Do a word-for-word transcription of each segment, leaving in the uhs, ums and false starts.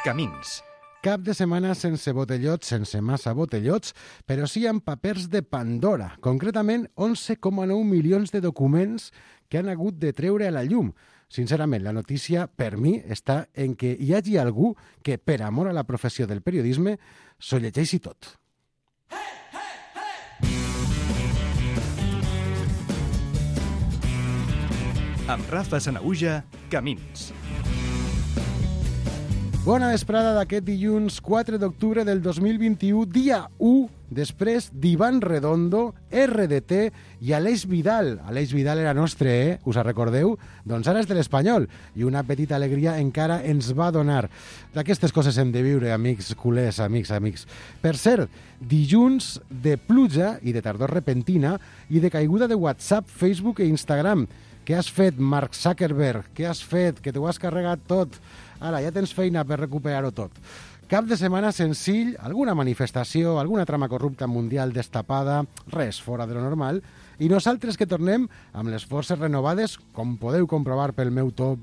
Camins. Cap de setmana sense botellots, sense massa botellots, però sí amb papers de Pandora. Concretament, onze coma nou milions de documents que han hagut de treure a la llum. Sincerament, la notícia, per mi, està en què hi hagi algú que, per amor a la professió del periodisme, s'ho llegeixi tot. Amb Rafa Sanahuja, Camins. Bona vesprada d'aquest dilluns quatre d'octubre del dos mil vint-i-u, dia u, després d'Ivan Redondo, erre de te i Aleix Vidal. Aleix Vidal era nostre, eh? Us recordeu? Doncs ara és de l'Espanyol i una petita alegria encara ens va donar. D'aquestes coses hem de viure, amics culers, amics, amics. Per cert, dilluns de pluja i de tardor repentina i de caiguda de WhatsApp, Facebook i Instagram. Què has fet, Mark Zuckerberg? Què has fet? Que t'ho has carregat tot. Ara, ja tens feina per recuperar-ho tot. Cap de setmana senzill, alguna manifestació, alguna trama corrupta mundial destapada, res fora de lo normal, i nosaltres que tornem amb les forces renovades, com podeu comprovar pel meu to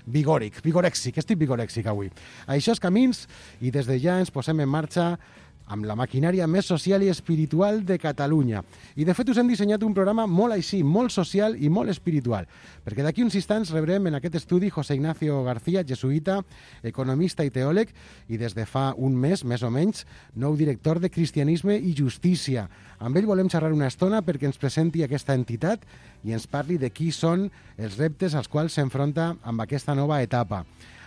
vigòric, vigorèxic, estic vigorèxic avui. Això és Camins, i des de ja ens posem en marxa amb la maquinària més social i espiritual de Catalunya. I de fet us hem dissenyat un programa molt així, molt social i molt espiritual, perquè d'aquí uns instants rebrem en aquest estudi José Ignacio García, jesuïta, economista i teòleg, i des de fa un mes, més o menys, nou director de Cristianisme i Justícia. Amb ell volem xerrar una estona perquè ens presenti aquesta entitat i ens parli de qui són els reptes als quals s'enfronta amb aquesta nova etapa.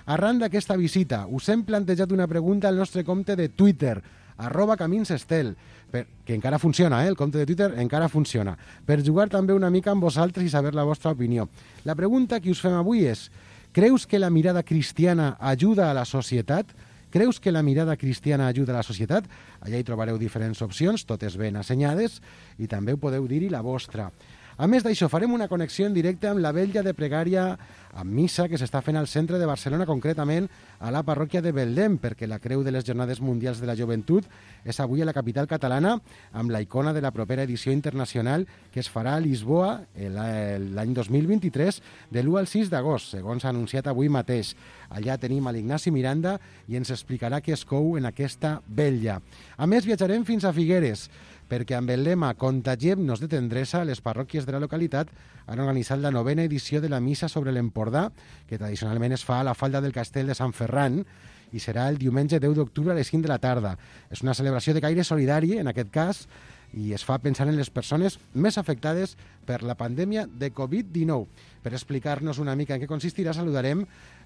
Arran d'aquesta visita, us hem plantejat una pregunta al nostre compte de Twitter, arroba caminsestel, per, que encara funciona, eh? El compte de Twitter encara funciona, per jugar també una mica amb vosaltres i saber la vostra opinió. La pregunta que us fem avui és: creus que la mirada cristiana ajuda a la societat? Creus que la mirada cristiana ajuda a la societat? Allà hi trobareu diferents opcions, totes ben assenyades, i també ho podeu dir-hi la vostra. A més d'això, farem una connexió en directe amb la vetlla de pregària amb missa que s'està fent al centre de Barcelona, concretament a la parròquia de Beldem, perquè la creu de les Jornades Mundials de la Joventut és avui a la capital catalana amb la icona de la propera edició internacional que es farà a Lisboa l'any dos mil vint-i-tres de l'u al sis d'agost, segons s'ha anunciat avui mateix. Allà tenim a l'Ignasi Miranda i ens explicarà què es cou en aquesta vetlla. A més, viatjarem fins a Figueres, perquè amb el lema Contagiem-nos de tendresa, les parròquies de la localitat han organitzat la novena edició de la missa sobre l'Empordà, que tradicionalment es fa a la falda del castell de Sant Ferran, i serà el diumenge deu d'octubre a les cinc de la tarda. És una celebració de caire solidari, en aquest cas, i es fa pensant en les persones més afectades per la pandèmia de covid dinou. Per explicar-nos una mica en què consistirà, saludarem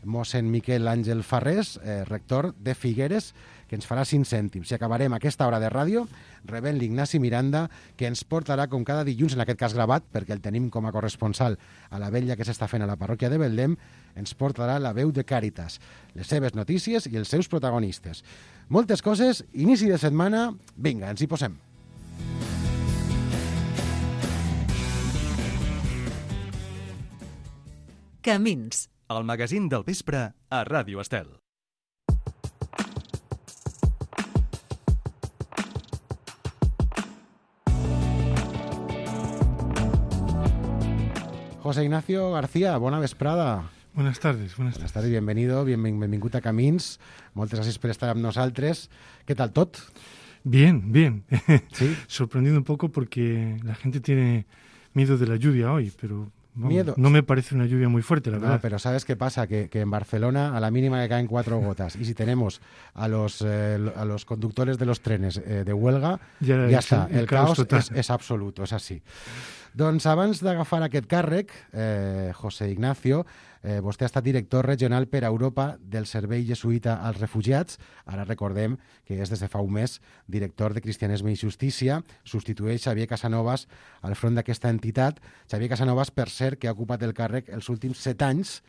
mossèn Miquel Àngel Farrés, eh, rector de Figueres, que ens farà cinc cèntims. I acabarem aquesta hora de ràdio rebent l'Ignasi Miranda, que ens portarà, com cada dilluns, en aquest cas gravat, perquè el tenim com a corresponsal a la vetlla que s'està fent a la parròquia de Beldem, ens portarà la veu de Càritas, les seves notícies i els seus protagonistes. Moltes coses, inici de setmana, vinga, ens hi posem. Camins. El magazín del vespre a Ràdio Estel. José Ignacio García, bona vesprada. Buenas tardes, buenas tardes. Buenas tardes, bienvenido, bien, benvingut a Camins. Moltes gràcies per estar amb nosaltres. ¿Qué tal tot? Bien, bien. ¿Sí? Sorprendido un poco porque la gente tiene miedo de la lluvia hoy, pero vamos, miedo. No me parece una lluvia muy fuerte, la no, verdad. Pero ¿sabes qué pasa? Que, que en Barcelona a la mínima que caen cuatro gotas. Y si tenemos a los, eh, a los conductores de los trenes eh, de huelga, ja, ja està. El, el caos, caos és, és absolut, és així. Doncs abans d'agafar aquest càrrec, eh, José Ignacio, eh, vostè ha estat director regional per a Europa del Servei Jesuïta als Refugiats. Ara recordem que és des de fa un mes director de Cristianisme i Justícia. Substitueix Xavier Casanovas al front d'aquesta entitat. Xavier Casanovas, per cert, que ha ocupat el càrrec els últims set anys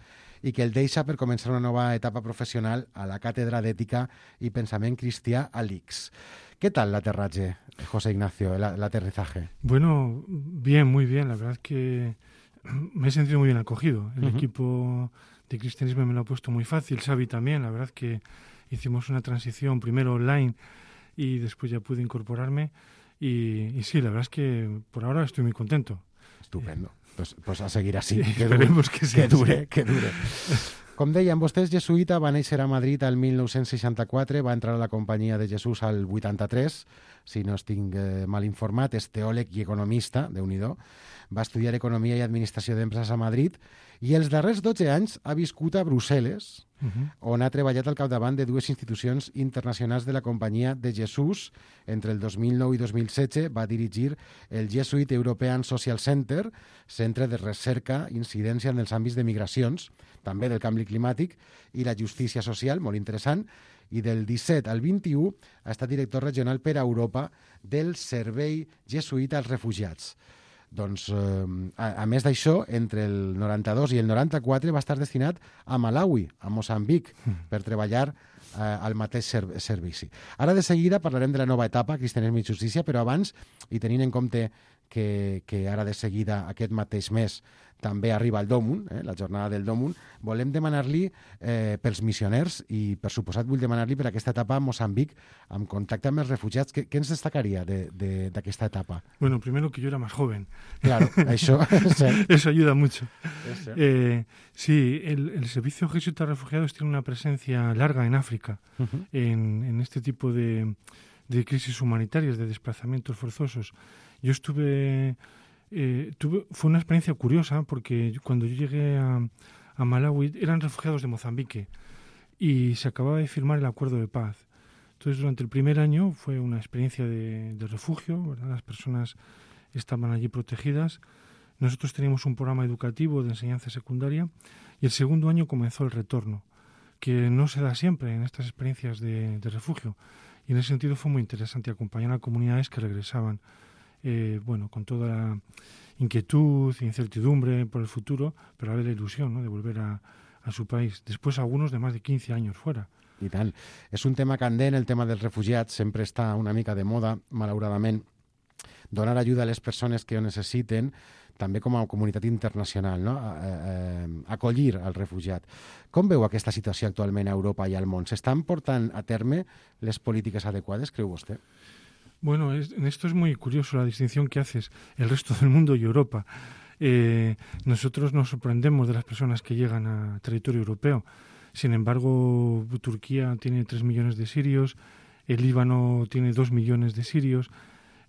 i que el deixa per començar una nova etapa professional a la Càtedra d'Ètica i Pensament Cristià a l'I C S. ¿Qué tal el aterraje, José Ignacio, el, el aterrizaje? Bueno, bien, muy bien. La verdad es que me he sentido muy bien acogido. El uh-huh. equipo de Cristianismo me lo ha puesto muy fácil. Xavi también. La verdad es que hicimos una transición primero online y después ya pude incorporarme. Y, y sí, la verdad es que por ahora estoy muy contento. Estupendo. Pues, pues a seguir así. Sí, que esperemos dure, que sea que dure, así. que dure. Com deien vostès, jesuïta, va néixer a Madrid el mil nou-cents seixanta-quatre, va entrar a la Companyia de Jesús al vuitanta-tres, si no estic eh, mal informat, és teòleg i economista, déu-n'hi-do, va estudiar Economia i Administració d'Empreses a Madrid i els darrers dotze anys ha viscut a Brussel·les, uh-huh. on ha treballat al capdavant de dues institucions internacionals de la Companyia de Jesús. Entre el dos mil nou i dos mil setze va dirigir el Jesuit European Social Center, centre de recerca i incidència en els àmbits de migracions, també del canvi climàtic i la justícia social, molt interessant, i del disset al vint-i-u ha estat director regional per a Europa del Servei Jesuïta als Refugiats. Doncs, eh, a, a més d'això, entre el noranta-dos i el noranta-quatre va estar destinat a Malawi, a Moçambic, mm. per treballar eh, al mateix ser servici. Ara de seguida parlarem de la nova etapa, Cristianisme i Justícia, però abans, i tenint en compte que, que ara de seguida, aquest mateix mes, també arriba el Dòmun, eh, la jornada del Dòmun, volem demanar-li eh, pels missioners i, per suposat, vull demanar-li per aquesta etapa a Moçambic, amb contacte amb els refugiats. ¿Qué, qué ens destacaría de, de, de esta etapa? Bueno, primero que yo era más joven. Claro, eso, sí. Eso ayuda mucho. Eh, sí, el, el Servicio Jesuita de Refugiados tiene una presencia larga en África, uh-huh. en, en este tipo de, de crisis humanitarias, de desplazamientos forzosos. Yo estuve... Eh, tuve, fue una experiencia curiosa porque cuando yo llegué a, a Malawi eran refugiados de Mozambique y se acababa de firmar el acuerdo de paz. Entonces, durante el primer año fue una experiencia de, de refugio, ¿verdad? Las personas estaban allí protegidas. Nosotros teníamos un programa educativo de enseñanza secundaria y el segundo año comenzó el retorno, que no se da siempre en estas experiencias de, de refugio. Y en ese sentido fue muy interesante acompañar a comunidades que regresaban Eh, bueno, con toda la inquietud, incertidumbre por el futuro, pero a ver la ilusión, ¿no?, de volver a, a su país. Después algunos de más de quinze años fuera. I tant. És un tema candent, el tema dels refugiats, sempre està una mica de moda, malauradament. Donar ajuda a les persones que ho necessiten, també com a comunitat internacional, no? Eh, eh, acollir al refugiat. Com veu aquesta situació actualment a Europa i al món? S'estan portant a terme les polítiques adequades, creu vostè? Bueno, es, en esto es muy curioso la distinción que haces, el resto del mundo y Europa. Eh, nosotros nos sorprendemos de las personas que llegan a territorio europeo. Sin embargo, Turquía tiene tres millones de sirios, el Líbano tiene dos millones de sirios,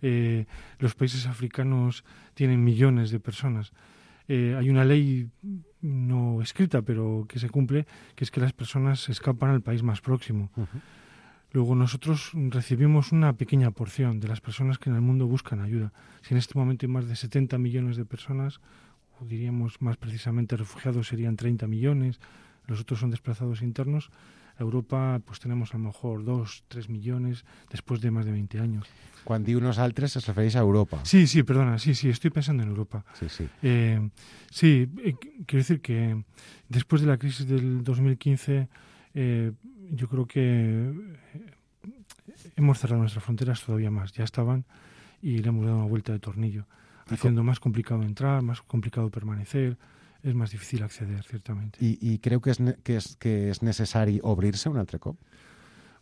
eh, los países africanos tienen millones de personas. Eh, hay una ley no escrita, pero que se cumple, que es que las personas escapan al país más próximo. Uh-huh. Luego nosotros recibimos una pequeña porción de las personas que en el mundo buscan ayuda. Si en este momento hay más de setenta millones de personas, o diríamos más precisamente refugiados serían treinta millones, los otros son desplazados internos, a Europa pues tenemos a lo mejor dos, tres millones después de más de veinte años. Cuando diu nosaltres es refereix a Europa. Sí, sí, perdona, sí, sí, estoy pensando en Europa. Sí, sí. Eh, sí, eh, quiero decir que después de la crisis del dos mil quince... Eh, yo creo que hemos cerrado nuestras fronteras todavía más. Ya estaban y le hemos dado una vuelta de tornillo, haciendo más complicado entrar, más complicado permanecer. Es más difícil acceder, ciertamente. I, i creu que és, que, és, que és necessari obrir-se un altre cop?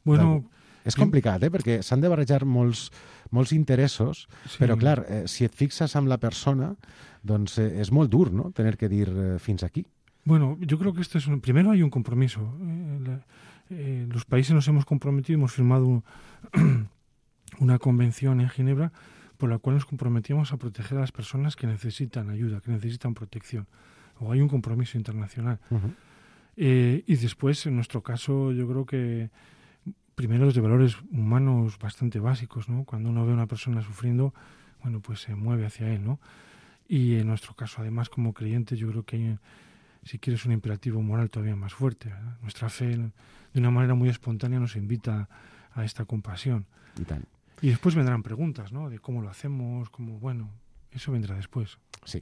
Bueno... És complicat, eh? Perquè s'han de barrejar molts, molts interessos, sí. Però, clar, eh, si et fixes amb la persona, doncs eh, és molt dur, ¿no?, tener que dir eh, fins aquí. Bueno, yo creo que esto es un, primero hay un compromiso. Eh, la, eh, los países nos hemos comprometido, hemos firmado una convención en Ginebra por la cual nos comprometíamos a proteger a las personas que necesitan ayuda, que necesitan protección. O hay un compromiso internacional. Uh-huh. eh, y después, en nuestro caso, yo creo que primero desde valores humanos bastante básicos, ¿no? Cuando uno ve a una persona sufriendo, bueno, pues se mueve hacia él, ¿no? Y en nuestro caso, además, como creyentes, yo creo que hay, si quieres, un imperativo moral todavía más fuerte, ¿verdad? Nuestra fe, de una manera muy espontánea, nos invita a esta compasión. Y tal. Y después vendrán preguntas, ¿no?, de cómo lo hacemos, cómo, bueno, eso vendrá después. Sí.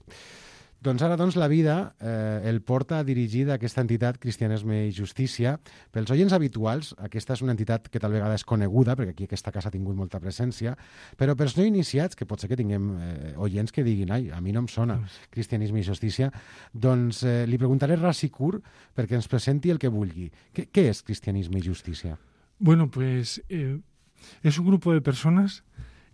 Doncs ara, doncs, la vida eh, el porta a dirigir aquesta entitat Cristianisme i Justícia. Pels oients habituals, aquesta és una entitat que tal vegada és coneguda, perquè aquí aquesta casa ha tingut molta presència, però pels no iniciats, que pot ser que tinguem eh, oients que diguin, ai, a mi no em sona Cristianisme i Justícia, doncs eh, li preguntaré ras i curt perquè ens presenti el que vulgui. Què, què és Cristianisme i Justícia? Bueno, pues eh, es un grupo de personas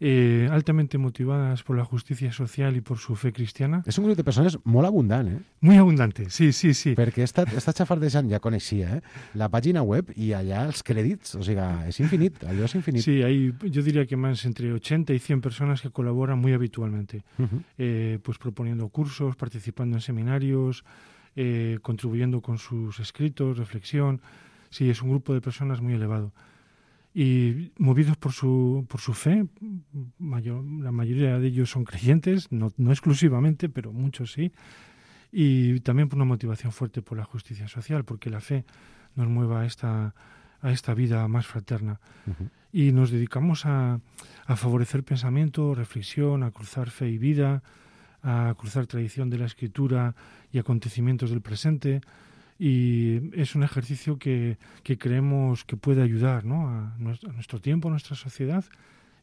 eh, altamente motivadas por la justicia social y por su fe cristiana. És un grup de persones molt abundant, eh? Muy abundante, sí, sí, sí. Perquè he estat, he estat xafardejant, ja coneixia, eh? La pàgina web i allà els crèdits, o sigui, és infinit, allò és infinit. Sí, hay, yo diría que más entre ochenta y cien personas que colaboran muy habitualmente, uh-huh. eh, pues proponiendo cursos, participando en seminarios, eh, contribuyendo con sus escritos, reflexión. Sí, es un grupo de personas muy elevado. Y movidos por su, por su fe, mayor, la mayoría de ellos son creyentes, no, no exclusivamente, pero muchos sí, y también por una motivación fuerte por la justicia social, porque la fe nos mueva a esta, a esta vida más fraterna. Uh-huh. Y nos dedicamos a, a favorecer pensamiento, reflexión, a cruzar fe y vida, a cruzar tradición de la escritura y acontecimientos del presente. Y es un ejercicio que, que creemos que puede ayudar, ¿no?, a, nuestro, a nuestro tiempo, a nuestra sociedad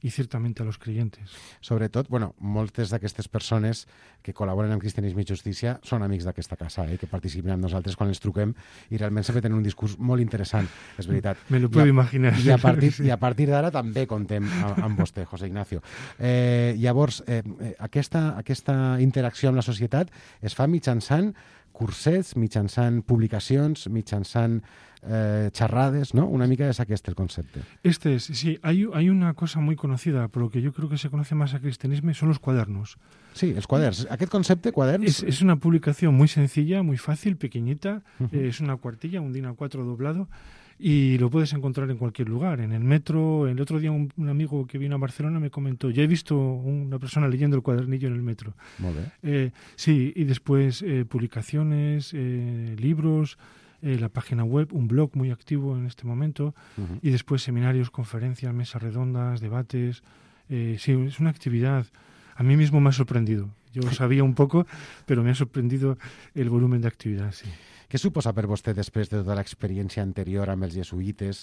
i ciertament a los creyentes. Sobretot, bueno, moltes d'aquestes persones que col·laboren amb Cristianisme i Justícia són amics d'aquesta casa, eh, que participen amb nosaltres quan els truquem i realment sempre tenen un discurs molt interessant, és veritat. Me lo puedo I a, imaginar. I a partir, i a partir d'ara també contem amb, amb vostè, José Ignacio. Eh, llavors, eh, aquesta, aquesta interacció amb la societat es fa mitjançant cursets, mitjançant publicacions, mitjançant eh, xerrades, ¿no? Una mica és aquest el concepte. Este es, sí, hay, hay una cosa muy conocida, por lo que yo creo que se conoce más a cristianismo, son los cuadernos. Sí, els quaderns. Aquest concepte, quaderns... Es, es una publicación muy sencilla, muy fácil, pequeñita, uh-huh. eh, es una cuartilla, un D I N A cuatro doblado, y lo puedes encontrar en cualquier lugar, en el metro. El otro día un, un amigo que vino a Barcelona me comentó, ya he visto una persona leyendo el cuadernillo en el metro. Molt bé. Eh, sí, y después eh, publicaciones, eh, libros, eh, la página web, un blog muy activo en este momento, uh-huh. y después seminarios, conferencias, mesas redondas, debates. Eh, sí, es una actividad, a mí mismo me ha sorprendido. Yo lo sabía un poco, pero me ha sorprendido el volumen de actividad, sí. Què suposa per vostè, després de tota l'experiència anterior amb els jesuïtes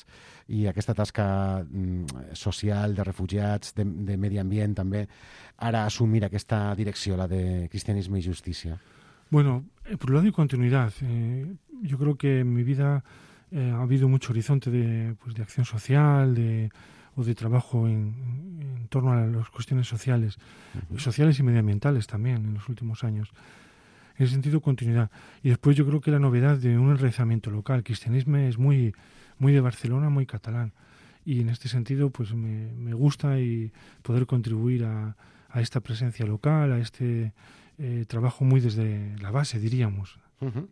i aquesta tasca mm, social de refugiats, de, de medi ambient també, ara assumir aquesta direcció, la de Cristianisme y Justicia? Bueno, eh, por un lado y continuidad. Eh, yo creo que en mi vida eh, ha habido mucho horizonte de, pues, de acción social, de, o de trabajo en, en torno a las cuestiones sociales, uh-huh. sociales y medioambientales también en los últimos años. En ese sentido, continuidad. Y después yo creo que la novedad de un enraizamiento local. El cristianismo es muy, muy de Barcelona, muy catalán. Y en este sentido, pues me, me gusta y poder contribuir a, a esta presencia local, a este eh, trabajo muy desde la base, diríamos. Uh-huh.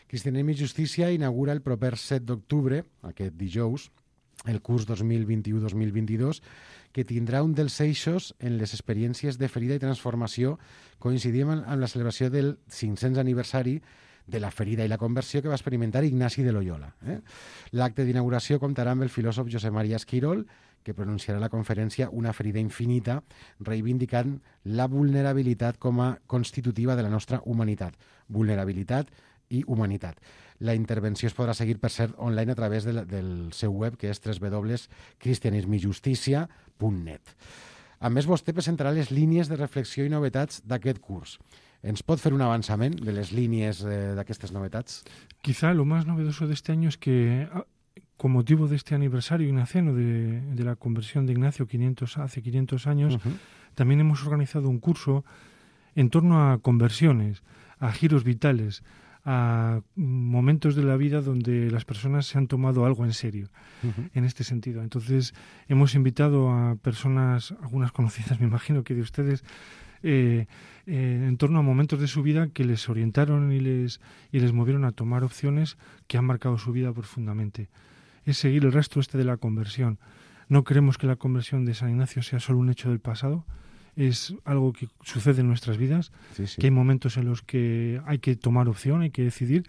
Cristianisme i Justícia inaugura el proper set d'octubre, aquest dijous, el curs dos mil vint-i-u dos mil vint-i-dos, que tindrà un dels eixos en les experiències de ferida i transformació, coincidint amb la celebració del cinc-cents aniversari de la ferida i la conversió que va experimentar Ignasi de Loyola. Eh? L'acte d'inauguració comptarà amb el filòsof Josep Maria Esquirol, que pronunciarà la conferència Una ferida infinita, reivindicant la vulnerabilitat com a constitutiva de la nostra humanitat. Vulnerabilitat i humanitat. La intervenció es podrà seguir, per cert, online a través de la, del seu web, que és w w w punt cristianisme i justícia punt net. A més, vostè presentarà les línies de reflexió i novetats d'aquest curs. ¿Ens pot fer un avançament de les línies eh, d'aquestes novetats? Quizá lo más novedoso de este año es que, con motivo de este aniversario ignaciano de, de la conversión de Ignacio quinientos, hace quinientos años, uh-huh. también hemos organizado un curso en torno a conversiones, a giros vitales, a momentos de la vida donde las personas se han tomado algo en serio, uh-huh. en este sentido. Entonces, hemos invitado a personas, algunas conocidas, me imagino que de ustedes, eh, eh, en torno a momentos de su vida que les orientaron y les, y les movieron a tomar opciones que han marcado su vida profundamente. Es seguir el rastro este de la conversión. No creemos que la conversión de San Ignacio sea solo un hecho del pasado, es algo que sucede en nuestras vidas, sí, sí. que hay momentos en los que hay que tomar opción, hay que decidir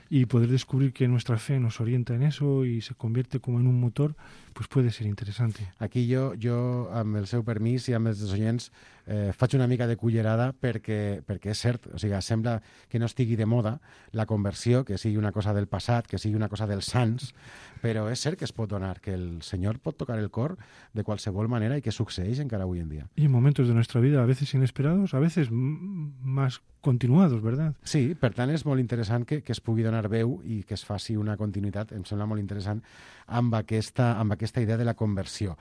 y poder descubrir que nuestra fe nos orienta en eso y se convierte como en un motor, pues puede ser interesante. Aquí jo, jo amb el seu permís i amb els oients, eh, faig una mica de cullerada perquè, perquè és cert, o sigui, sembla que no estigui de moda la conversió, que sigui una cosa del passat, que sigui una cosa dels sants, però és cert que es pot donar, que el Senyor pot tocar el cor de qualsevol manera i que succeeix encara avui en dia. Y en momentos de nuestra vida, a veces inesperados, a veces m- más continuados, ¿verdad? Sí, per tant és molt interessant que, que es pugui donar veu i que es faci una continuïtat, em sembla molt interessant, amb aquesta, amb aquesta idea de la conversió.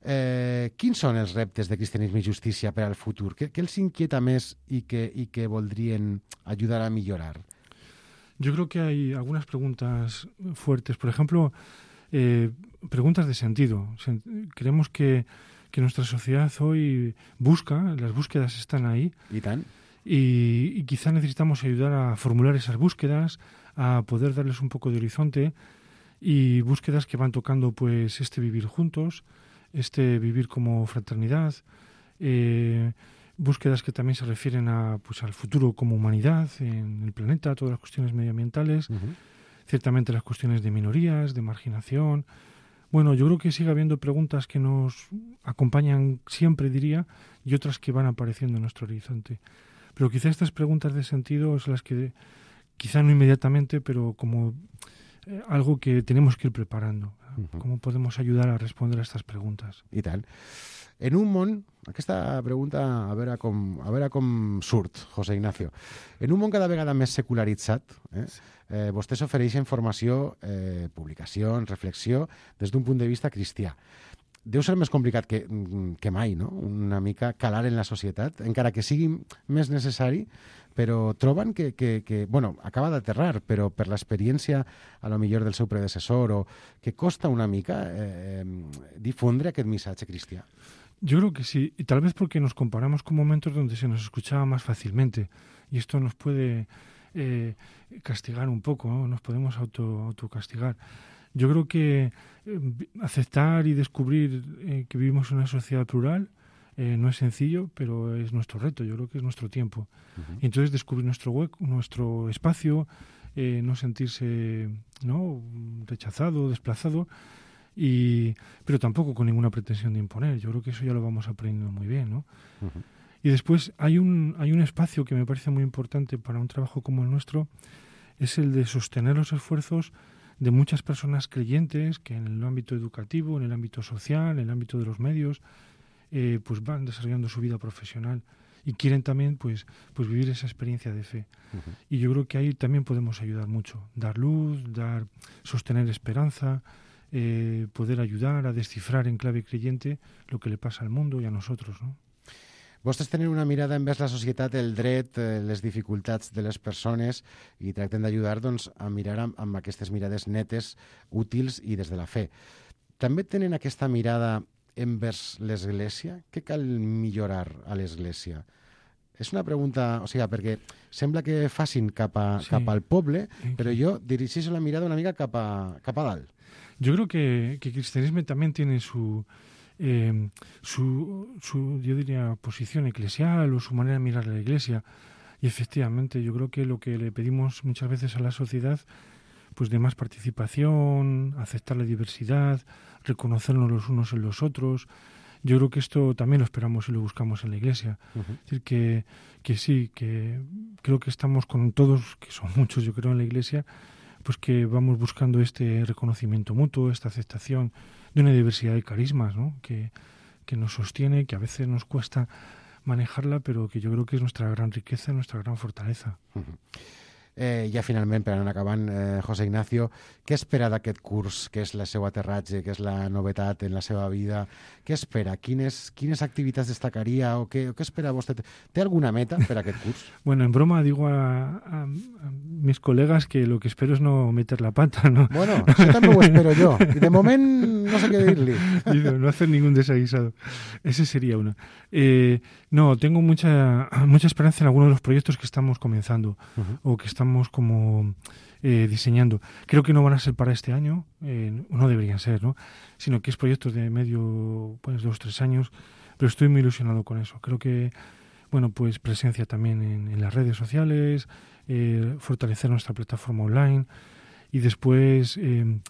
Eh, quins són els reptes de Cristianisme i Justícia per al futur? Què, què els inquieta més y que, y que voldrien ayudar a mejorar? Yo creo que hay algunas preguntas fuertes. Por ejemplo, eh, preguntas de sentido. Creemos que, que nuestra sociedad hoy busca, las búsquedas están ahí. ¿Y tan? Y, y quizá necesitamos ayudar a formular esas búsquedas, a poder darles un poco de horizonte, y búsquedas que van tocando pues este vivir juntos, este vivir como fraternidad, eh, búsquedas que también se refieren a pues al futuro como humanidad en el planeta, todas las cuestiones medioambientales, uh-huh. ciertamente las cuestiones de minorías, de marginación. Bueno, yo creo que sigue habiendo preguntas que nos acompañan siempre, diría, y otras que van apareciendo en nuestro horizonte. Pero quizá estas preguntas de sentido son las que, quizá no inmediatamente, pero como eh, algo que tenemos que ir preparando. Uh-huh. ¿Cómo podemos ayudar a responder a estas preguntas? I tant. En un món, aquesta pregunta a veure com, a veure com surt, José Ignacio. En un món cada vegada més secularitzat, eh, eh, vostès ofereixen formació, eh, publicacions, reflexió, des d'un punt de vista cristià. Deu ser més complicat que, que mai, no? Una mica calar en la societat, encara que sigui més necessari, però troben que, que, que bueno, acaba d'aterrar, però per l'experiència a lo millor del seu predecessor, o que costa una mica eh, difondre aquest missatge cristià. Yo creo que sí, y tal vez porque nos comparamos con momentos donde se nos escuchaba más fácilmente, y esto nos puede eh, castigar un poco, ¿no? Nos podemos auto, autocastigar. Yo creo que eh, aceptar y descubrir eh, que vivimos en una sociedad plural eh, no es sencillo, pero es nuestro reto, yo creo que es nuestro tiempo. Uh-huh. Y entonces descubrir nuestro hueco, nuestro espacio, eh, no sentirse ¿no? rechazado, desplazado, y pero tampoco con ninguna pretensión de imponer. Yo creo que eso ya lo vamos aprendiendo muy bien, ¿no? Uh-huh. Y después hay un, hay un espacio que me parece muy importante para un trabajo como el nuestro, es el de sostener los esfuerzos de muchas personas creyentes que en el ámbito educativo, en el ámbito social, en el ámbito de los medios, eh, pues van desarrollando su vida profesional y quieren también pues, pues vivir esa experiencia de fe. Uh-huh. Y yo creo que ahí también podemos ayudar mucho, dar luz, dar, sostener esperanza, eh, poder ayudar a descifrar en clave creyente lo que le pasa al mundo y a nosotros, ¿no? Vostès tenen una mirada envers la societat, el dret, les dificultats de les persones i tracten d'ajudar doncs, a mirar amb, amb aquestes mirades netes, útils i des de la fe. També tenen aquesta mirada envers l'Església? Què cal millorar a l'Església? És una pregunta, o sigui, perquè sembla que facin cap, a, sí. cap al poble, però jo dirigeixo la mirada una mica cap a, cap a dalt. Yo creo que, que el cristianismo también tiene su... Eh, su, su, yo diría, posición eclesial o su manera de mirar a la Iglesia. Y efectivamente, yo creo que lo que le pedimos muchas veces a la sociedad, pues de más participación, aceptar la diversidad, reconocernos los unos en los otros, yo creo que esto también lo esperamos y lo buscamos en la Iglesia. Uh-huh. Es decir, que, que sí, que creo que estamos con todos, que son muchos yo creo en la Iglesia, pues que vamos buscando este reconocimiento mutuo, esta aceptación de una diversidad de carismas, ¿no? que, que nos sostiene, que a veces nos cuesta manejarla, pero que yo creo que es nuestra gran riqueza, nuestra gran fortaleza. Uh-huh. Eh, ja finalment, per anar acabant, eh, José Ignacio, què espera d'aquest curs, que és el seu aterratge, que és la novetat en la seva vida? Què espera? Quines, quines activitats destacaria o què, o què espera vostè? Té alguna meta per a aquest curs? Bueno, en broma digo a, a, a mis colegas que lo que espero es no meter la pata, ¿no? Bueno, això també ho espero jo. I de moment no sé què dir-li. No hacer ningún desaguisado. Ese sería uno. Eh, no, tengo mucha, mucha esperanza en algunos de los proyectos que estamos comenzando uh-huh. o que estamos estamos como eh, diseñando. Creo que no van a ser para este año, eh, no deberían ser, ¿no? Sino que es proyectos de medio, pues dos, tres años, pero estoy muy ilusionado con eso. Creo que, bueno, pues presencia también en, en las redes sociales, eh, fortalecer nuestra plataforma online y después eh,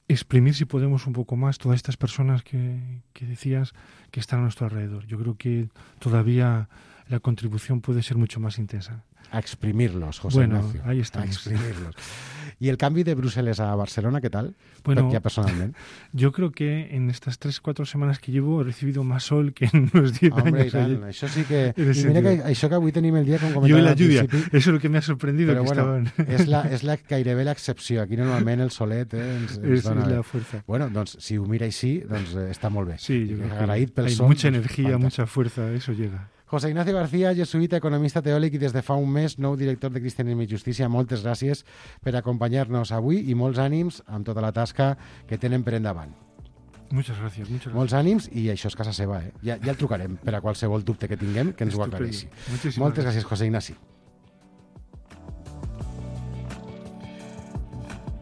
exprimir, si podemos, un poco más todas estas personas que, que decías que están a nuestro alrededor. Yo creo que todavía la contribución puede ser mucho más intensa. A exprimirlos, José bueno, Ignacio. Ahí estamos. A exprimirlos. ¿Y el cambio de Bruselas a Barcelona, qué tal? Bueno, ya personalmente. Yo creo que en estas tres, cuatro semanas que llevo he recibido más sol que en unos diez Hombre, años. i tant, això sí que... I sentido. mira que això que avui tenim el dia, com comentava Yo y la al lluvia, principi, eso es lo que me ha sorprendido. però que bueno, estaban... és, la, és la, gairebé l'excepció. Aquí normalment el solet eh, ens, ens es, dona... es la fuerza. Bueno, doncs si ho mira així, doncs eh, està molt bé. Sí, yo creo Agraït que pel hay sol, mucha doncs, energía, fantàstic. mucha fuerza, eso llega. José Ignacio García, jesuïta, economista teòlic i des de fa un mes nou director de Cristianisme i Justícia. Moltes gràcies per acompanyar-nos avui i molts ànims amb tota la tasca que tenen per endavant. Muchas gracias, muchas gracias. Molts ànims i això és casa seva, eh? Ja, ja el trucarem per a qualsevol dubte que tinguem que ens ho aclareixi. Moltes gràcies, José Ignasi.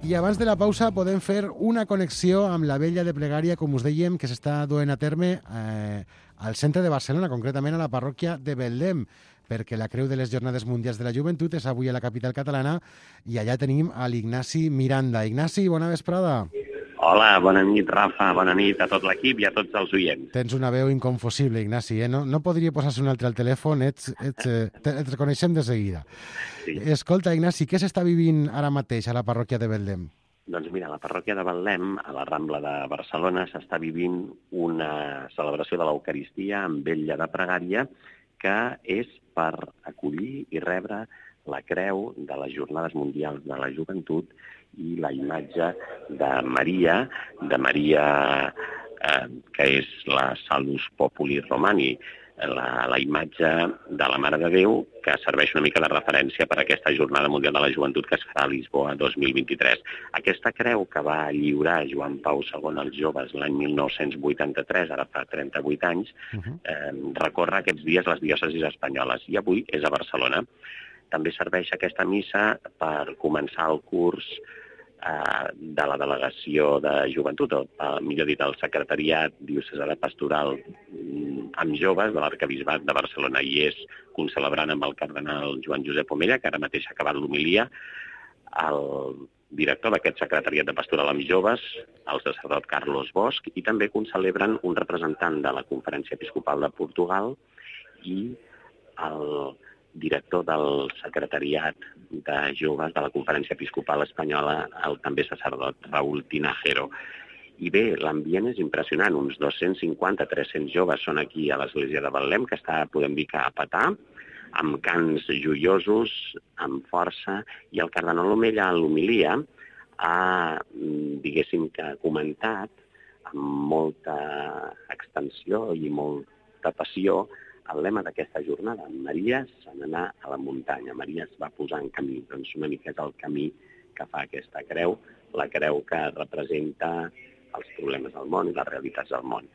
I abans de la pausa podem fer una connexió amb la vella de pregària, com us dèiem, que s'està duent a terme eh, al centre de Barcelona, concretament a la parròquia de Betlem, perquè la Creu de les Jornades Mundials de la Joventut és avui a la capital catalana i allà tenim a l'Ignasi Miranda. Ignasi, bona vesprada. Hola, bona nit, Rafa, bona nit a tot l'equip i a tots els oients. Tens una veu inconfusible, Ignasi, eh? No, no podria posar-se un altre al telèfon, ets, ets, eh, et reconeixem de seguida. Sí. Escolta, Ignasi, què s'està vivint ara mateix a la parròquia de Betlem? Doncs mira, a la parròquia de Betlem, a la Rambla de Barcelona, s'està vivint una celebració de l'Eucaristia amb vetlla de pregària que és per acollir i rebre la creu de les Jornades Mundials de la Joventut i la imatge de Maria, de Maria eh, que és la Salus Populi Romani, la, la imatge de la Mare de Déu, que serveix una mica de referència per a aquesta Jornada Mundial de la Joventut que es farà a Lisboa dos mil vint-i-tres. Aquesta creu que va lliurar Joan Pau segon als joves l'any mil nou-cents vuitanta-tres, ara fa trenta-vuit anys, eh, recorre aquests dies les diòcesis espanyoles i avui és a Barcelona. També serveix aquesta missa per començar el curs eh, de la Delegació de Joventut, o eh, millor dit, el Secretariat Diocesà de Pastoral amb joves de l'Arquebisbat de Barcelona, i és concelebrant amb el cardenal Joan Josep Omella, que ara mateix ha acabat l'homilia, el director d'aquest Secretariat de Pastoral amb joves, el sacerdot Carlos Bosch, i també concelebren un representant de la Conferència Episcopal de Portugal i el director del Secretariat de Joves de la Conferència Episcopal Espanyola, el també sacerdot Raúl Tinajero. I bé, l'ambient és impressionant, uns dos-cents cinquanta a tres-cents joves són aquí a l'església de Betlem, que està, podem dir que a petar, amb cants joiosos, amb força, i el cardenal Omella a l'homilia ha, diguéssim, que comentat amb molta extensió i molta passió el lema d'aquesta jornada: Maria se n'anà a la muntanya, Maria es va posar en camí. Doncs una mica és el camí que fa aquesta creu, la creu que representa els problemes del món i les realitats del món.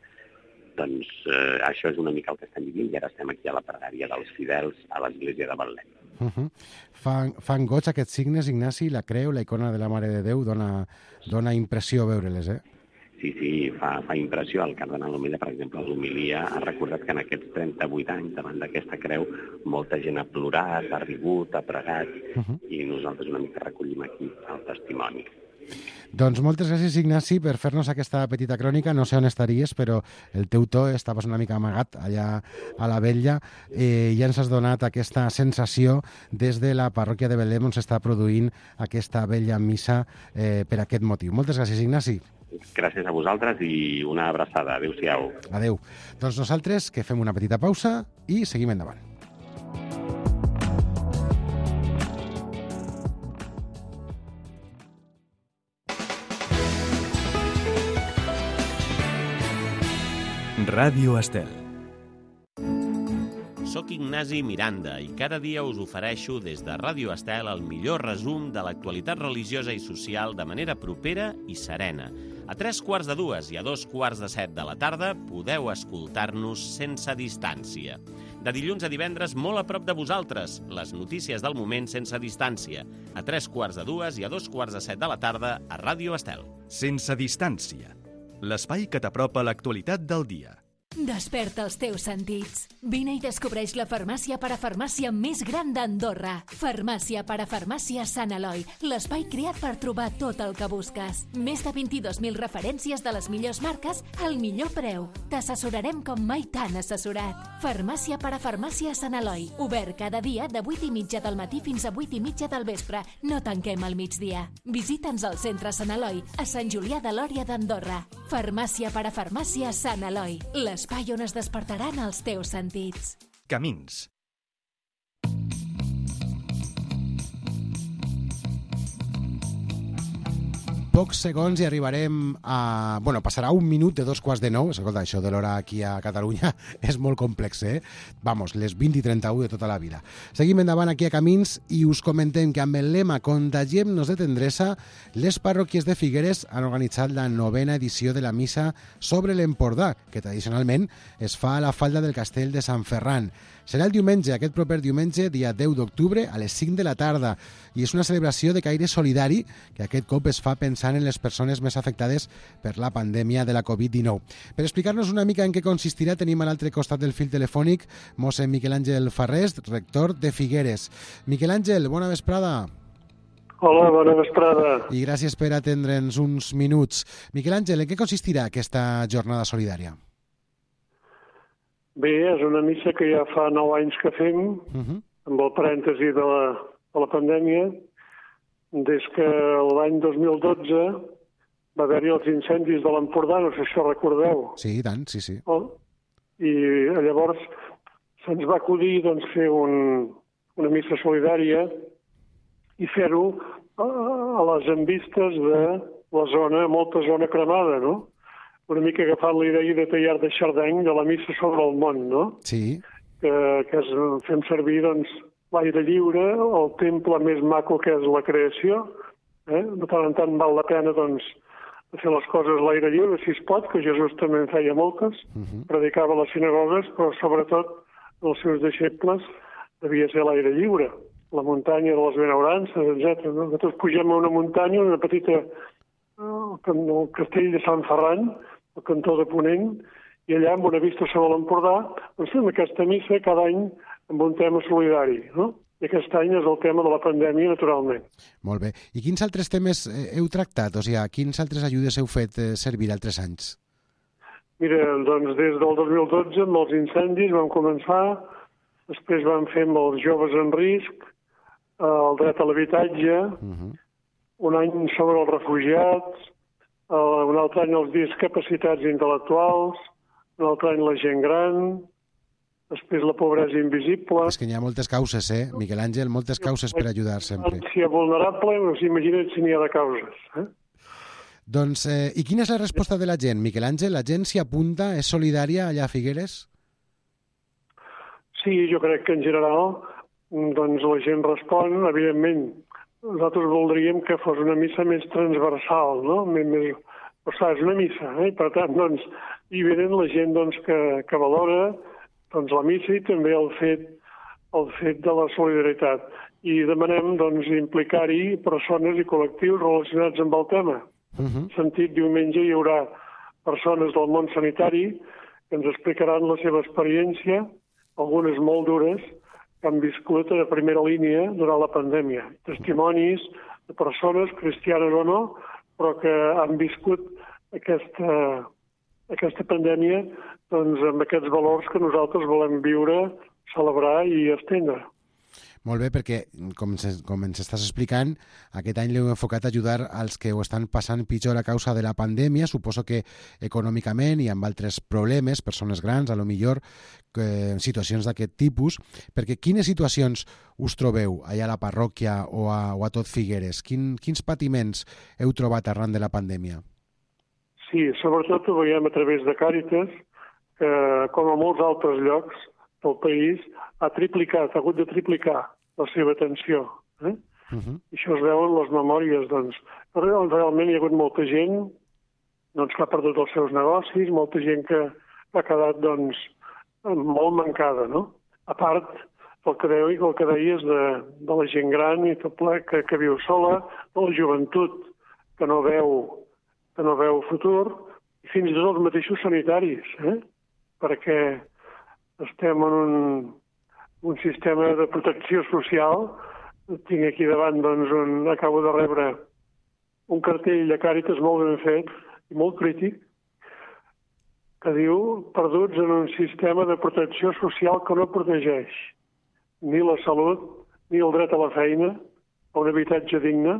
Doncs eh, això és una mica el que estem vivint i ara estem aquí a la pregària dels fidels a l'església de Betlem. Uh -huh. Fan, fan goig aquests signes, Ignasi, la creu, la icona de la Mare de Déu, dona, dona impressió veure-les, eh? Sí, sí, fa, fa impressió. El cardenal Omella, per exemple, a l'homilia ha recordat que en aquests trenta-vuit anys, davant d'aquesta creu, molta gent ha plorat, ha rigut, ha pregat, uh -huh. i nosaltres una mica recollim aquí el testimoni. Doncs moltes gràcies, Ignasi, per fer-nos aquesta petita crònica. No sé on estaries, però el teu to estaves una mica amagat allà a la vetlla eh, i ja ens has donat aquesta sensació des de la parròquia de Betlem on s'està produint aquesta vella missa eh, per aquest motiu. Moltes gràcies, Ignasi. Gràcies a vosaltres i una abraçada. Adéu-siau. Adéu. Doncs nosaltres que fem una petita pausa i seguim endavant. Ràdio Estel. Soc Ignasi Miranda i cada dia us ofereixo des de Ràdio Estel el millor resum de l'actualitat religiosa i social de manera propera i serena. A tres quarts de dues i a dos quarts de set de la tarda podeu escoltar-nos sense distància. De dilluns a divendres, molt a prop de vosaltres, les notícies del moment sense distància. A tres quarts de dues i a dos quarts de set de la tarda a Ràdio Estel. Sense distància. L'espai que t'apropa l'actualitat del dia. Desperta els teus sentits. Vine i descobreix la farmàcia parafarmàcia més gran d'Andorra. Farmàcia parafarmàcia Sant Eloi, l'espai creat per trobar tot el que busques. Més de vint-i-dos mil referències de les millors marques al millor preu. T'assessorarem com mai t'han assessorat. Farmàcia parafarmàcia Sant Eloi, obert cada dia de vuit i mitja del matí fins a vuit i mitja del vespre. No tanquem al migdia. Visita'ns al centre Sant Eloi, a Sant Julià de Lòria d'Andorra. Farmàcia parafarmàcia Sant Eloi, l'espai on es despertaran els teus sentits. Camins. Pocs segons i arribarem a... Bueno, passarà un minut de dos quarts de nou. Escolta, això de l'hora aquí a Catalunya és molt complex, eh? Vamos, les vint i trenta-u de tota la vida. Seguim endavant aquí a Camins i us comentem que amb el lema Contagiem-nos de tendresa, les parròquies de Figueres han organitzat la novena edició de la missa sobre l'Empordà, que tradicionalment es fa a la falda del castell de Sant Ferran. Serà el diumenge, aquest proper diumenge, dia deu d'octubre, a les cinc de la tarda, i és una celebració de caire solidari que aquest cop es fa pensant en les persones més afectades per la pandèmia de la covid dinou. Per explicar-nos una mica en què consistirà, tenim a l'altre costat del fil telefònic mossèn Miquel Àngel Farrés, rector de Figueres. Miquel Àngel, bona vesprada. Hola, bona vesprada. I gràcies per atendre'ns uns minuts. Miquel Àngel, en què consistirà aquesta jornada solidària? Bé, és una missa que ja fa nou anys que fem, uh-huh. amb el parèntesi de la, de la pandèmia, des que l'any dos mil dotze va haver-hi els incendis de l'Empordà, no sé si ho recordeu. Sí, i tant, sí, sí. Oh? I llavors se'ns va acudir doncs, fer un, una missa solidària i fer-ho a, a les envistes de la zona, molta zona cremada, no? Una mica agafant la idea de Teilhard de Chardeny, de la missa sobre el món, no? Sí. Que, que es, fem servir, doncs, l'aire lliure, el temple més maco que és la creació. Eh? De tant en tant val la pena, doncs, fer les coses a l'aire lliure, si es pot, que Jesús també en feia moltes, uh-huh. predicava a les sinagogues, però sobretot els seus deixebles devia ser l'aire lliure, la muntanya de les benaurances, etcètera. No? Nosaltres pugem a una muntanya, una petita, el castell de Sant Ferran, al cantó de Ponent, i allà, amb una vista sobre l'Empordà, doncs fem aquesta missa cada any amb un tema solidari, no? I aquest any és el tema de la pandèmia, naturalment. Molt bé. I quins altres temes heu tractat? O sigui, quins altres ajudes heu fet servir altres anys? Mira, doncs des del dos mil dotze, amb els incendis vam començar, després vam fer amb els joves en risc, el dret a l'habitatge, uh-huh. un any sobre els refugiats, un altre any els discapacitats intel·lectuals, un altre any la gent gran, després la pobresa invisible... És que n'hi ha moltes causes, eh, Miquel Àngel? Moltes causes per ajudar sempre. Si és vulnerable, no s'imagina't si n'hi ha de causes. Eh? Doncs, eh, i quina és la resposta de la gent, Miquel Àngel? La gent s'hi apunta? És solidària allà a Figueres? Sí, jo crec que en general doncs la gent respon, evidentment. Nosaltres voldríem que fos una missa més transversal, no? Més, més... O sigui, és una missa, eh? Per tant, doncs, hi venen la gent doncs, que, que valora doncs, la missa i també el fet, el fet de la solidaritat. I demanem doncs, implicar-hi persones i col·lectius relacionats amb el tema. Uh-huh. En sentit, diumenge hi haurà persones del món sanitari que ens explicaran la seva experiència, algunes molt dures, que han viscut a primera línia durant la pandèmia. Testimonis de persones, cristianes o no, però que han viscut aquesta, aquesta pandèmia doncs, amb aquests valors que nosaltres volem viure, celebrar i estendre. Molt bé, perquè, com, se, com ens estàs explicant, aquest any l'heu enfocat a ajudar als que ho estan passant pitjor a causa de la pandèmia, suposo que econòmicament i amb altres problemes, persones grans, a lo millor, eh, situacions d'aquest tipus, perquè quines situacions us trobeu allà a la parròquia o a, o a tot Figueres? Quin, quins patiments heu trobat arran de la pandèmia? Sí, sobretot ho veiem a través de Càritas, que, com a molts altres llocs del país, ha triplicat, ha hagut de triplicar la seva atenció. Eh? Uh-huh. I això es veu en les memòries. Doncs, realment hi ha hagut molta gent doncs, que ha perdut els seus negocis, molta gent que ha quedat doncs, molt mancada. No? A part del que, deu, el que deies de, de la gent gran i tot ple que, que viu sola, de la joventut que no veu, que no veu futur, i fins i tot els mateixos sanitaris, eh? perquè estem en un, un sistema de protecció social. Tinc aquí davant, doncs, un, acabo de rebre un cartell de Càritas molt ben fet i molt crític, que diu perduts en un sistema de protecció social que no protegeix ni la salut, ni el dret a la feina, a un habitatge digne,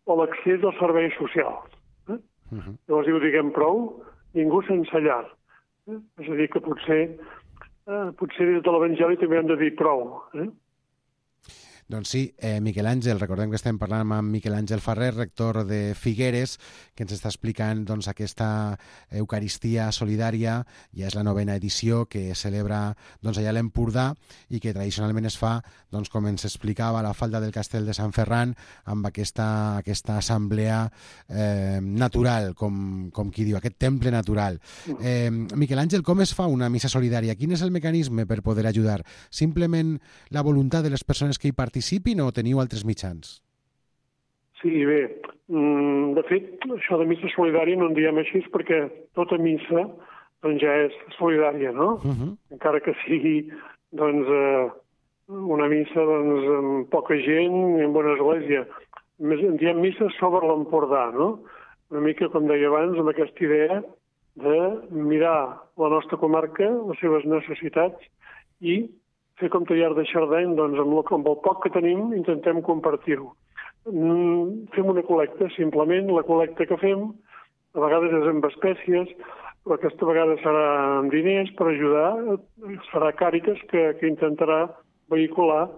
o l'accés als serveis socials. Eh? Uh-huh. Llavors diu, diguem prou, ningú sense llar. Eh? És a dir, que potser, eh, potser des de l'Evangeli també hem de dir prou. Eh? Doncs sí, eh, Miquel Àngel, recordem que estem parlant amb Miquel Àngel Ferrer, rector de Figueres, que ens està explicant doncs, aquesta Eucaristia solidària. Ja és la novena edició que celebra doncs, allà a l'Empordà i que tradicionalment es fa, doncs, com ens explicava, a la falda del Castell de Sant Ferran, amb aquesta, aquesta assemblea eh, natural, com, com qui diu, aquest temple natural. Eh, Miquel Àngel, com es fa una missa solidària? Quin és el mecanisme per poder ajudar? Simplement la voluntat de les persones que hi participen participin o teniu altres mitjans? Sí, bé. De fet, això de missa solidària no en diem així perquè tota missa doncs, ja és solidària, no? Uh-huh. Encara que sigui doncs, una missa doncs, amb poca gent i en bona església. En diem missa sobre l'Empordà, no? Una mica, com deia abans, amb aquesta idea de mirar la nostra comarca, les seves necessitats i fer com tallar de Xardeny, doncs amb el, amb el poc que tenim intentem compartir-ho. Mm, fem una col·lecta, simplement la col·lecta que fem, a vegades és amb espècies, però aquesta vegada serà amb diners per ajudar, serà Càritas que, que intentarà vehicular